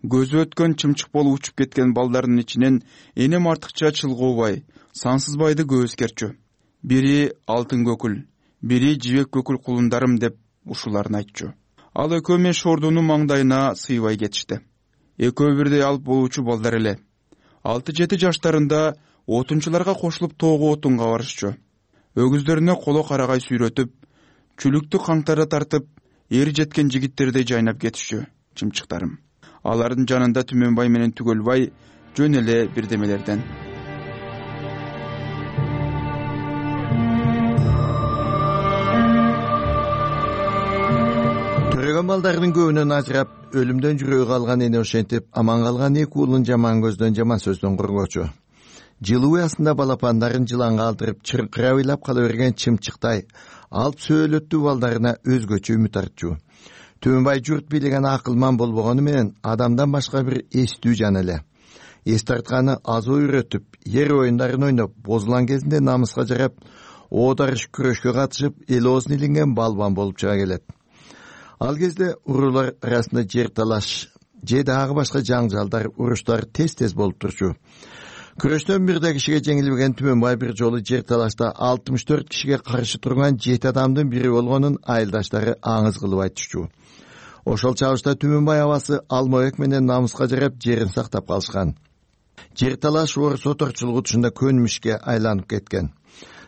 Көзү өткөн чымчык болуп учуп кеткен балдардын ичинен энем артыкча Чулгообай, Сансызбайды көп эскерчү. бири алтын көкүл, бири жибек көкүл кулундарым деп ушуларын айтчу. Ал экөө мен шордунун маңдайына сыйбай кетишти. Экөө бирдей алып болуучу балдар эле. 6-7 жаштарында отунчуларга кошулуп тоого отунга барышчу. Өгүздөрүнө коло карагай сүйрөтүп, чүлүктү каңтара тартып, эр жеткен жигиттердей жайнап кетишчү. Чымчыктарым. Алардын жанында Түмөнбай менен Түгөлбай жөн эле бирдемелерден. Төрөгөн балдардын көбүнөн ажырап, өлүмдөн жүрөгү калган эне ошентип, аман калган эки уулун жаман көздөн, жаман сөздөн коргоочу. Жылуу астында балапандарын жыланга алдырып, чыркыра ыйлап кала берген чымчыктай алып сөөлөттүү балдарына өзгөчө үмүт артчу. Түмөнбай журт бийлеген акылман болбогону менен адамдан башка бир эстүү жан эле. Эс тартканы азоо үйрөтүп, ер оюндарын ойноп, бозулан кезинде намыска жарап, оодарыш күрөшкө катышып, эл оозун илинген балбан болуп чыга келет. Ал кезде уруулар арасында жер талаш же дагы башка жаңжалдар, уруштар тез болуп турчу. Күрөштөн бирде кишиге жеңилбеген Түмөнбай бир жолу жер талашта 64 кишиге каршы турган 7 адамдын бири болгонун айылдаштары аңыз кылып айтышчу. Ошол чагышта Түмөнбай абасы Алмабек менен намыска жарап жерин сактап калышкан. Жер талаш орус оторчулугу тушунда көнмүшкө айланып кеткен.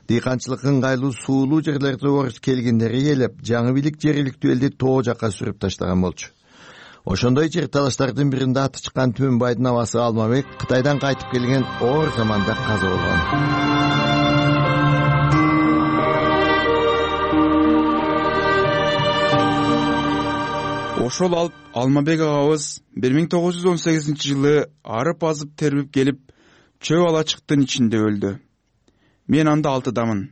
Дыйканчылык ыңгайлуу суулуу жерлерде орус келгиндери келип, жаңы бийлик жергиликтүү элди тоо жакка сүрүп таштаган болчу. Ошондой жер талаштардын биринде аты чыккан Түмөнбайдын абасы Алмабек Кытайдан кайтып келген оор заманда каза болгон. Ошол алып Алмабек агабыз 1918-жылы арып азып тербип келип, чөп алачыктын ичинде өлдү. Мен анда 6-дамын.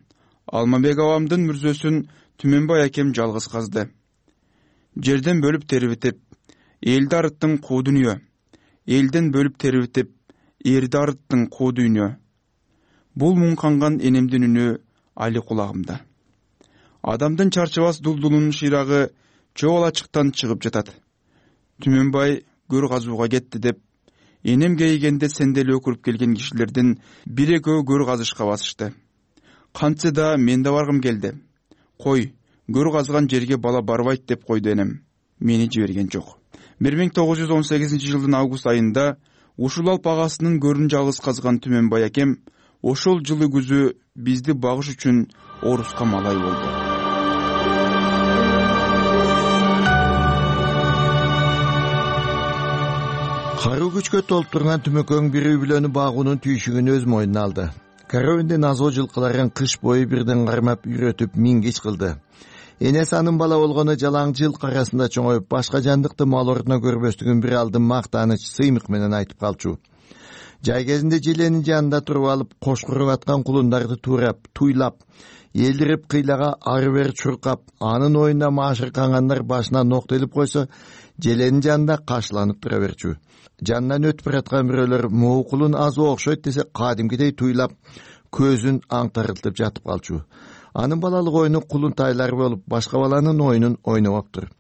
Алмабек абамдын мүрзөсүн Түмөнбай акем жалгыз казды. Жерден бөлүп тербитип, элди арыттың куу дүнүйө. Элден бөлүп тербитип, эрди арыттың куу дүнүйө. Бул муңканган энемдин үнү али кулагымда. Адамдын чарчабас дулдулунун шыйрагы чөп алачыктан чыгып жатат. Түмөнбай көр казууга кетти деп, энем кейигенде сенделе өкүрүп келген кишилердин бир экөө көр казышка басышты. Кантсе да мен да баргым келди. Кой, көр казган жерге бала барбайт деп койду энем. Мени жиберген жок. 1918-жылдын август айында ушул алп агасынын көрүн жалгыз казган Түмөнбай акем ошол жылы күзү бизди багыш үчүн Оруска малай болду. Каруу күчкө толуп турган Түмөкөң бир үй бүлөнү багуунун түйшүгүн өз мойнуна алды. Коровиндин азоо жылкыларын кыш бою бирден кармап үйрөтүп мингич кылды. Энеси анын бала болгону жалаң жылкы арасында чоңоюп, башка жандыкты мал ордуна көрбөстүгүн бир алдын мактаныч сыймык менен айтып калчу. Жай кезинде желенин жанында туруп алып, кош куруп аткан кулундарды туурап, туйлап, элдирип кыйлага ары бери чуркап, анын оюнда маашыркангандар башына нокто илип койсо, желенин жанында кашланып тура берчү. Жанынан өтүп бараткан бирөөлөр могу кулун азуу окшойт десе, кадимкидей туйлап, көзүн аңтарылтып жатып калчу. Анын балалык оюну кулун тайлар болуп, башка баланын оюнун ойнобоптур.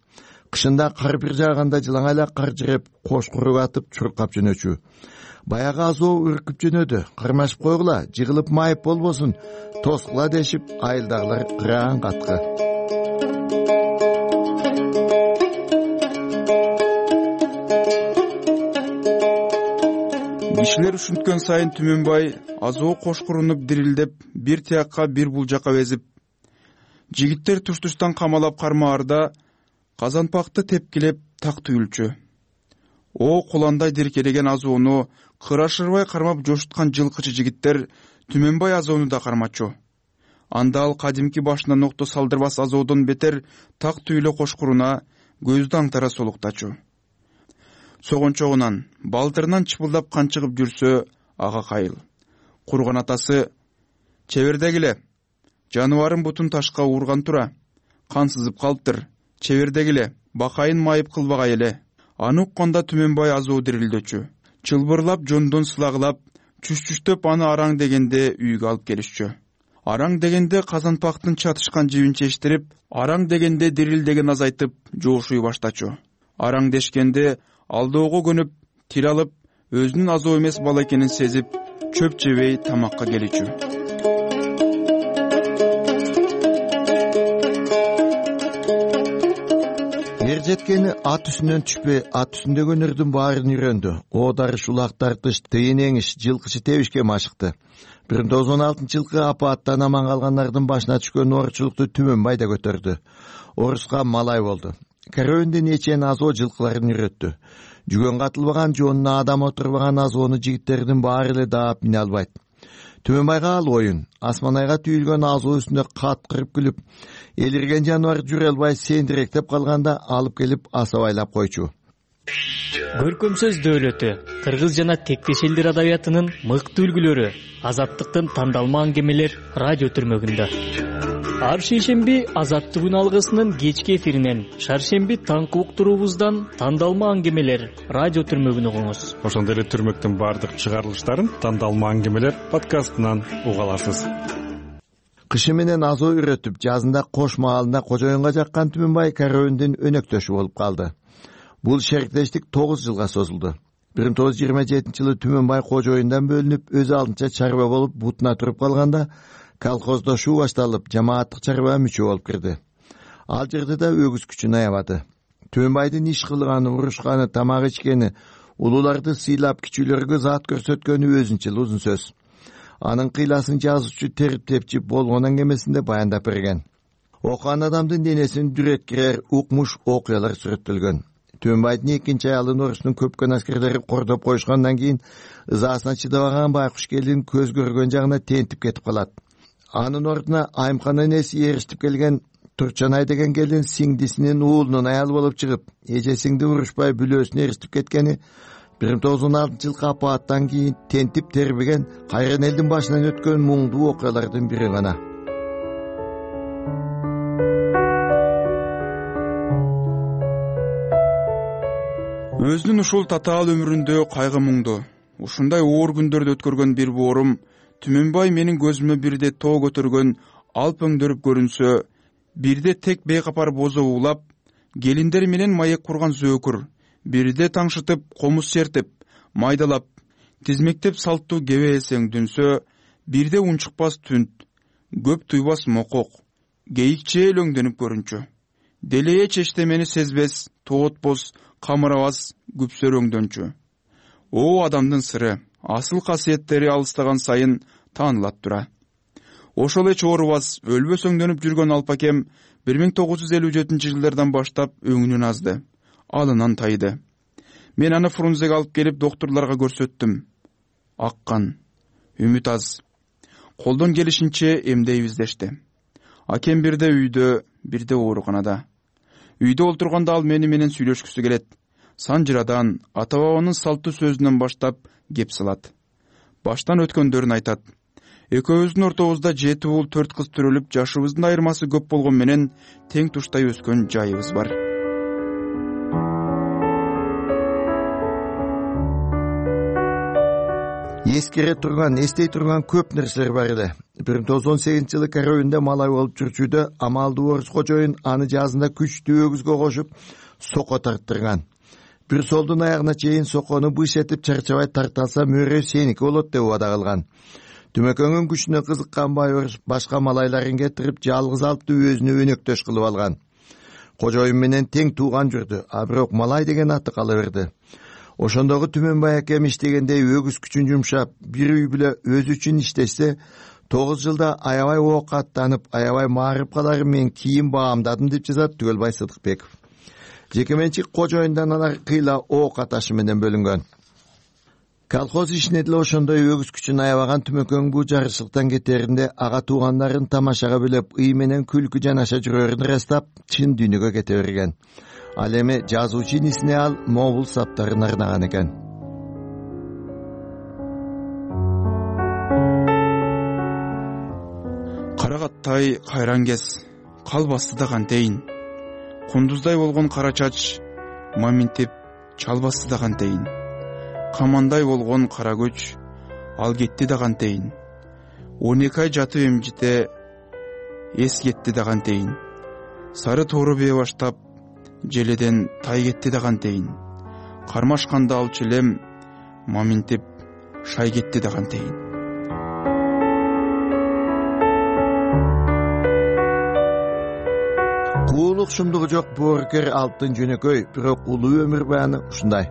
Кышында кар бир жааганда жылаңайла кар жиреп, кош куруп атып, чуркап жөнөчү. Баягы азоо үркүп жөнөдү. Кармашып койгула, жыгылып майып болбосун, тоскула дешип, айылдагылар кыраан каткы. Кишилер ушинткөн сайын Түмөнбай азоо кошкурунуп дирилдеп, бир тиякка бир бул жака безип, жигиттер туш-туштан камалап кармаарда казанпакты тепкилеп так түйүлчү. О куландай диркелеген азоону кырашырбай кармап жошуткан жылкычы жигиттер Түмөнбай азоону да кармачу. Анда ал кадимки башына нокто салдырбас азоодон бетер так түйүлө кошкуруна көздү аңтара солуктачу. Согончогунан, балтырынан чыпылдап кан чыгып жүрсө, ага кайыл. Курган атасы: "Чебердегиле, жаныбарым бутун ташка урган тура. Кан сызып калыптыр. Чебердегиле, бакайын майып кылбагай эле." Аны укканда Түмөнбай азоо дирилдөчү. Чылбырлап, жондон сылагылап, чүш-чүштөп аны араң дегенде үйгө алып келишчү. Араң дегенде казанпактын чатышкан жибин чечтирип, араң дегенде дирилдеген азайтып, жоошуй баштачу. Араң дешкенде алдоого көнүп, тил алып, өзүнүн азоо эмес бала экенин сезип, чөп жебей тамакка келичү. ичкени ат үстүнөн түшпөй, ат үстүндөгү өнөрдүн баарын үйрөндү. Оодарыш, улак тартыш, тыйын эңиш, жылкычы тебишке машыкты. 1916-жылкы апааттан аман калгандардын башына түшкөн оорчулукту Түмөнбай да көтөрдү. Орусга малай болду. Карөөнүн эчен азоо жылкыларын үйрөттү. Жүгөн катылбаган, жонуна адам отурбаган азоону жигиттердин баары эле даап мине албайт. Түмөнбайга ал оюн. Асманайга түйүлгөн азоо үстүндө каткырып күлүп, элирген жаныбар жүрө албай сендиректеп калганда алып келип асабайлап койчу. Көркөм сөз дөөлөтү, кыргыз жана тектеш элдер адабиятынын мыкты үлгүлөрү, азаттыктын тандалма аңгемелер радио түрмөгүндө. Ар шейшемби Азаттык күн алгысынын кечки эфиринен, шаршемби таңкы уктуруубуздан тандалма аңгемелер радио түрмөгүн угуңуз. Ошондой эле түрмөктүн баардык чыгарылыштарын тандалма аңгемелер подкастынан уга аласыз. Кышы менен азоо үйрөтүп, жазында Кош маалында кожоюнга жаккан Түмөнбай карөөнүн өнөктөшү болуп калды. Бул шериктештик 9 жылга созулду. 1927-жылы Түмөнбай кожоюндан бөлүнүп, өз алдынча чарба болуп бутуна туруп калганда, колхоздошуу башталып, жамааттык чарбага мүчө болуп кирди. Ал жерде да өгүз күчүн аябады. Түмөнбайдын иш кылганы, урушканы, тамак ичкени, улууларды сыйлап, кичүүлөргө зат көрсөткөнү өзүнчө узун сөз. Анын кыйласын жазуучу Терип Тепчип болгон аңгемесинде баяндап берген. Окуган адамдын денесин дүрөткирер укмуш окуялар сүрөттөлгөн. Түмөнбайдын экинчи аялын орустун көпкөн аскерлери кордоп коюшкандан кийин ызаасына чыдабаган байкуш келин көз көргөн жагына тентип кетип калат. Анын ордуна Айымкан энеси эриштип келген Турчанай деген келин сиңдисинин уулунун аялы болуп чыгып, эжесиңди урушпай бүлөөсүнө эриштип кеткени 1916-жылкы апааттан кийин тентип тербеген кайран элдин башынан өткөн муңдуу окуялардын бири гана. Өзүнүн ушул татаал өмүрүндө кайгы муңду, ушундай оор күндөрдү өткөргөн бир боорум Түмөнбай менин көзүмө бирде тоо көтөргөн алп өңдөрүп көрүнсө, бирде тек бейкапар бозо уулап, келиндер менен маек курган зөөкүр, бирде таңшытып, комуз чертип, майдалап, тизмектеп салттуу кебе эсең дүнсө, бирде унчукпас түнт, көп туйбас мокок, кейикче өлөңдөнүп көрүнчү. Делее чештемени сезбес, тоотпос, камырабас, күпсөр өңдөнчү. О адамдын сыры, асыл касиеттери алыстаган сайын таанылат тура. Ошол эч оорубас, өлбөс өңдөнүп жүргөн алпакем 1957-жылдардан баштап өңүнүн азды, алынан тайды. Мен аны Фрунзеге алып келип доктурларга көрсөттүм. Аккан, үмүт аз. Колдон келишинче эмдейбиз дешти. Акем бирде үйдө, бирде ооруканада. Үйдө олтурганда ал менен сүйлөшкүсү келет. Санжырадан, ата-бабанын салттуу сөзүнөн баштап кеп салат. Баштан өткөндөрүн айтат. Экөөбүздүн ортобузда 7 уул 4 кыз төрөлүп, жашыбыздын айырмасы көп болгон менен тең туштай өскөн жайыбыз бар. Эскере турган, эстей турган көп нерселер бар эле. 1918-жылы карөөнүндө малай болуп жүрчүдө амалдуу орус кожоюн аны жазында күчтүү өгүзгө кошуп соко тарттырган. Бир солдун аягына чейин сокону быш этип чарчабай тарталса мөрө сеники болот деп убада кылган. Түмөкөңүн күчүнө кызыккан бай орус башка малайларын кетирип жалгыз алпты өзүнө өнөктөш кылып алган. Кожоюн менен тең тууган жүрдү, а бирок малай деген аты кала берди. Ошондогу Түмөнбай акем иштегендей өгүз күчүн жумшап, бир үй бүлө өзү үчүн иштешсе, 9 жылда аябай оокаттанып, аябай маарып калары мен кийин баамдадым деп жазат Түгөлбай Сыдыкбеков. Жекеменчик кожоюндан алар кыйла ок аташы менен бөлүнгөн. Колхоз ишине деле ошондой өгүз күчүн аябаган Түмөкөң бул жарышлыктан кетеринде ага туугандарын тамашага бөлөп, ый менен күлкү жанаша жүрөрүн ырастап, чын дүйнөгө кете берген. Ал эми жазуучу инисине ал могул саптарын арнаган экен. Карагаттай кайран кез, калбасты да кантейин. Кундуздай болгон кара чач, маминтип чалбасты да кантейин. Камандай болгон кара көч, ал кетти да кантейин. 12 ай жатып эмжите, эс кетти да кантейин. Сары тоору бее баштап, желеден тай кетти да кантейин. Кармашканда алчу элем, маминтип шай кетти да кантейин. уулук шумдугу жок боорукер алтын жөнөкөй, бирок улуу өмүр бааны ушундай.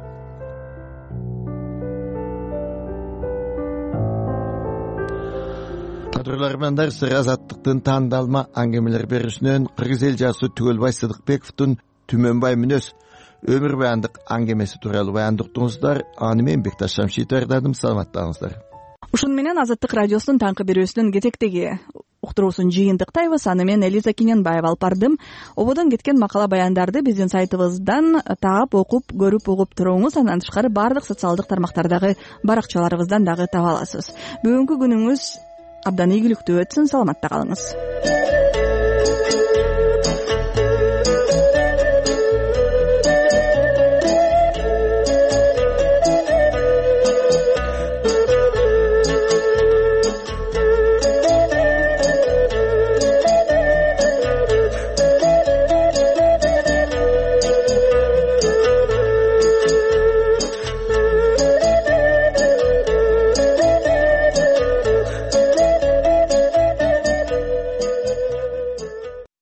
Кадрлармандар сыр азаттыктын тандалма аңгемелер берүүсүнөн кыргыз эл жаасы Түгөлбай Сыдыкбековдун Түмөнбай мүнөз өмүр баандык аңгемеси тууралуу баяндыктыңыздар. Аны мен Бекташ Шамшит даярдадым. Саламаттаңыздар. Ушуну менен Азаттык радиосунун таңкы берүүсүнүн кетектеги уктуруусун жыйынтыктайбыз. Аны мен Элиза Киненбаева алып бардым. Ободон кеткен макала баяндарды биздин сайтыбыздан таап, окуп, көрүп, угуп туруңуз. Андан тышкары баардык социалдык тармактардагы баракчаларыбыздан дагы таба аласыз. Бүгүнкү күнүңүз абдан ийгиликтүү өтсүн. Саламатта калыңыз.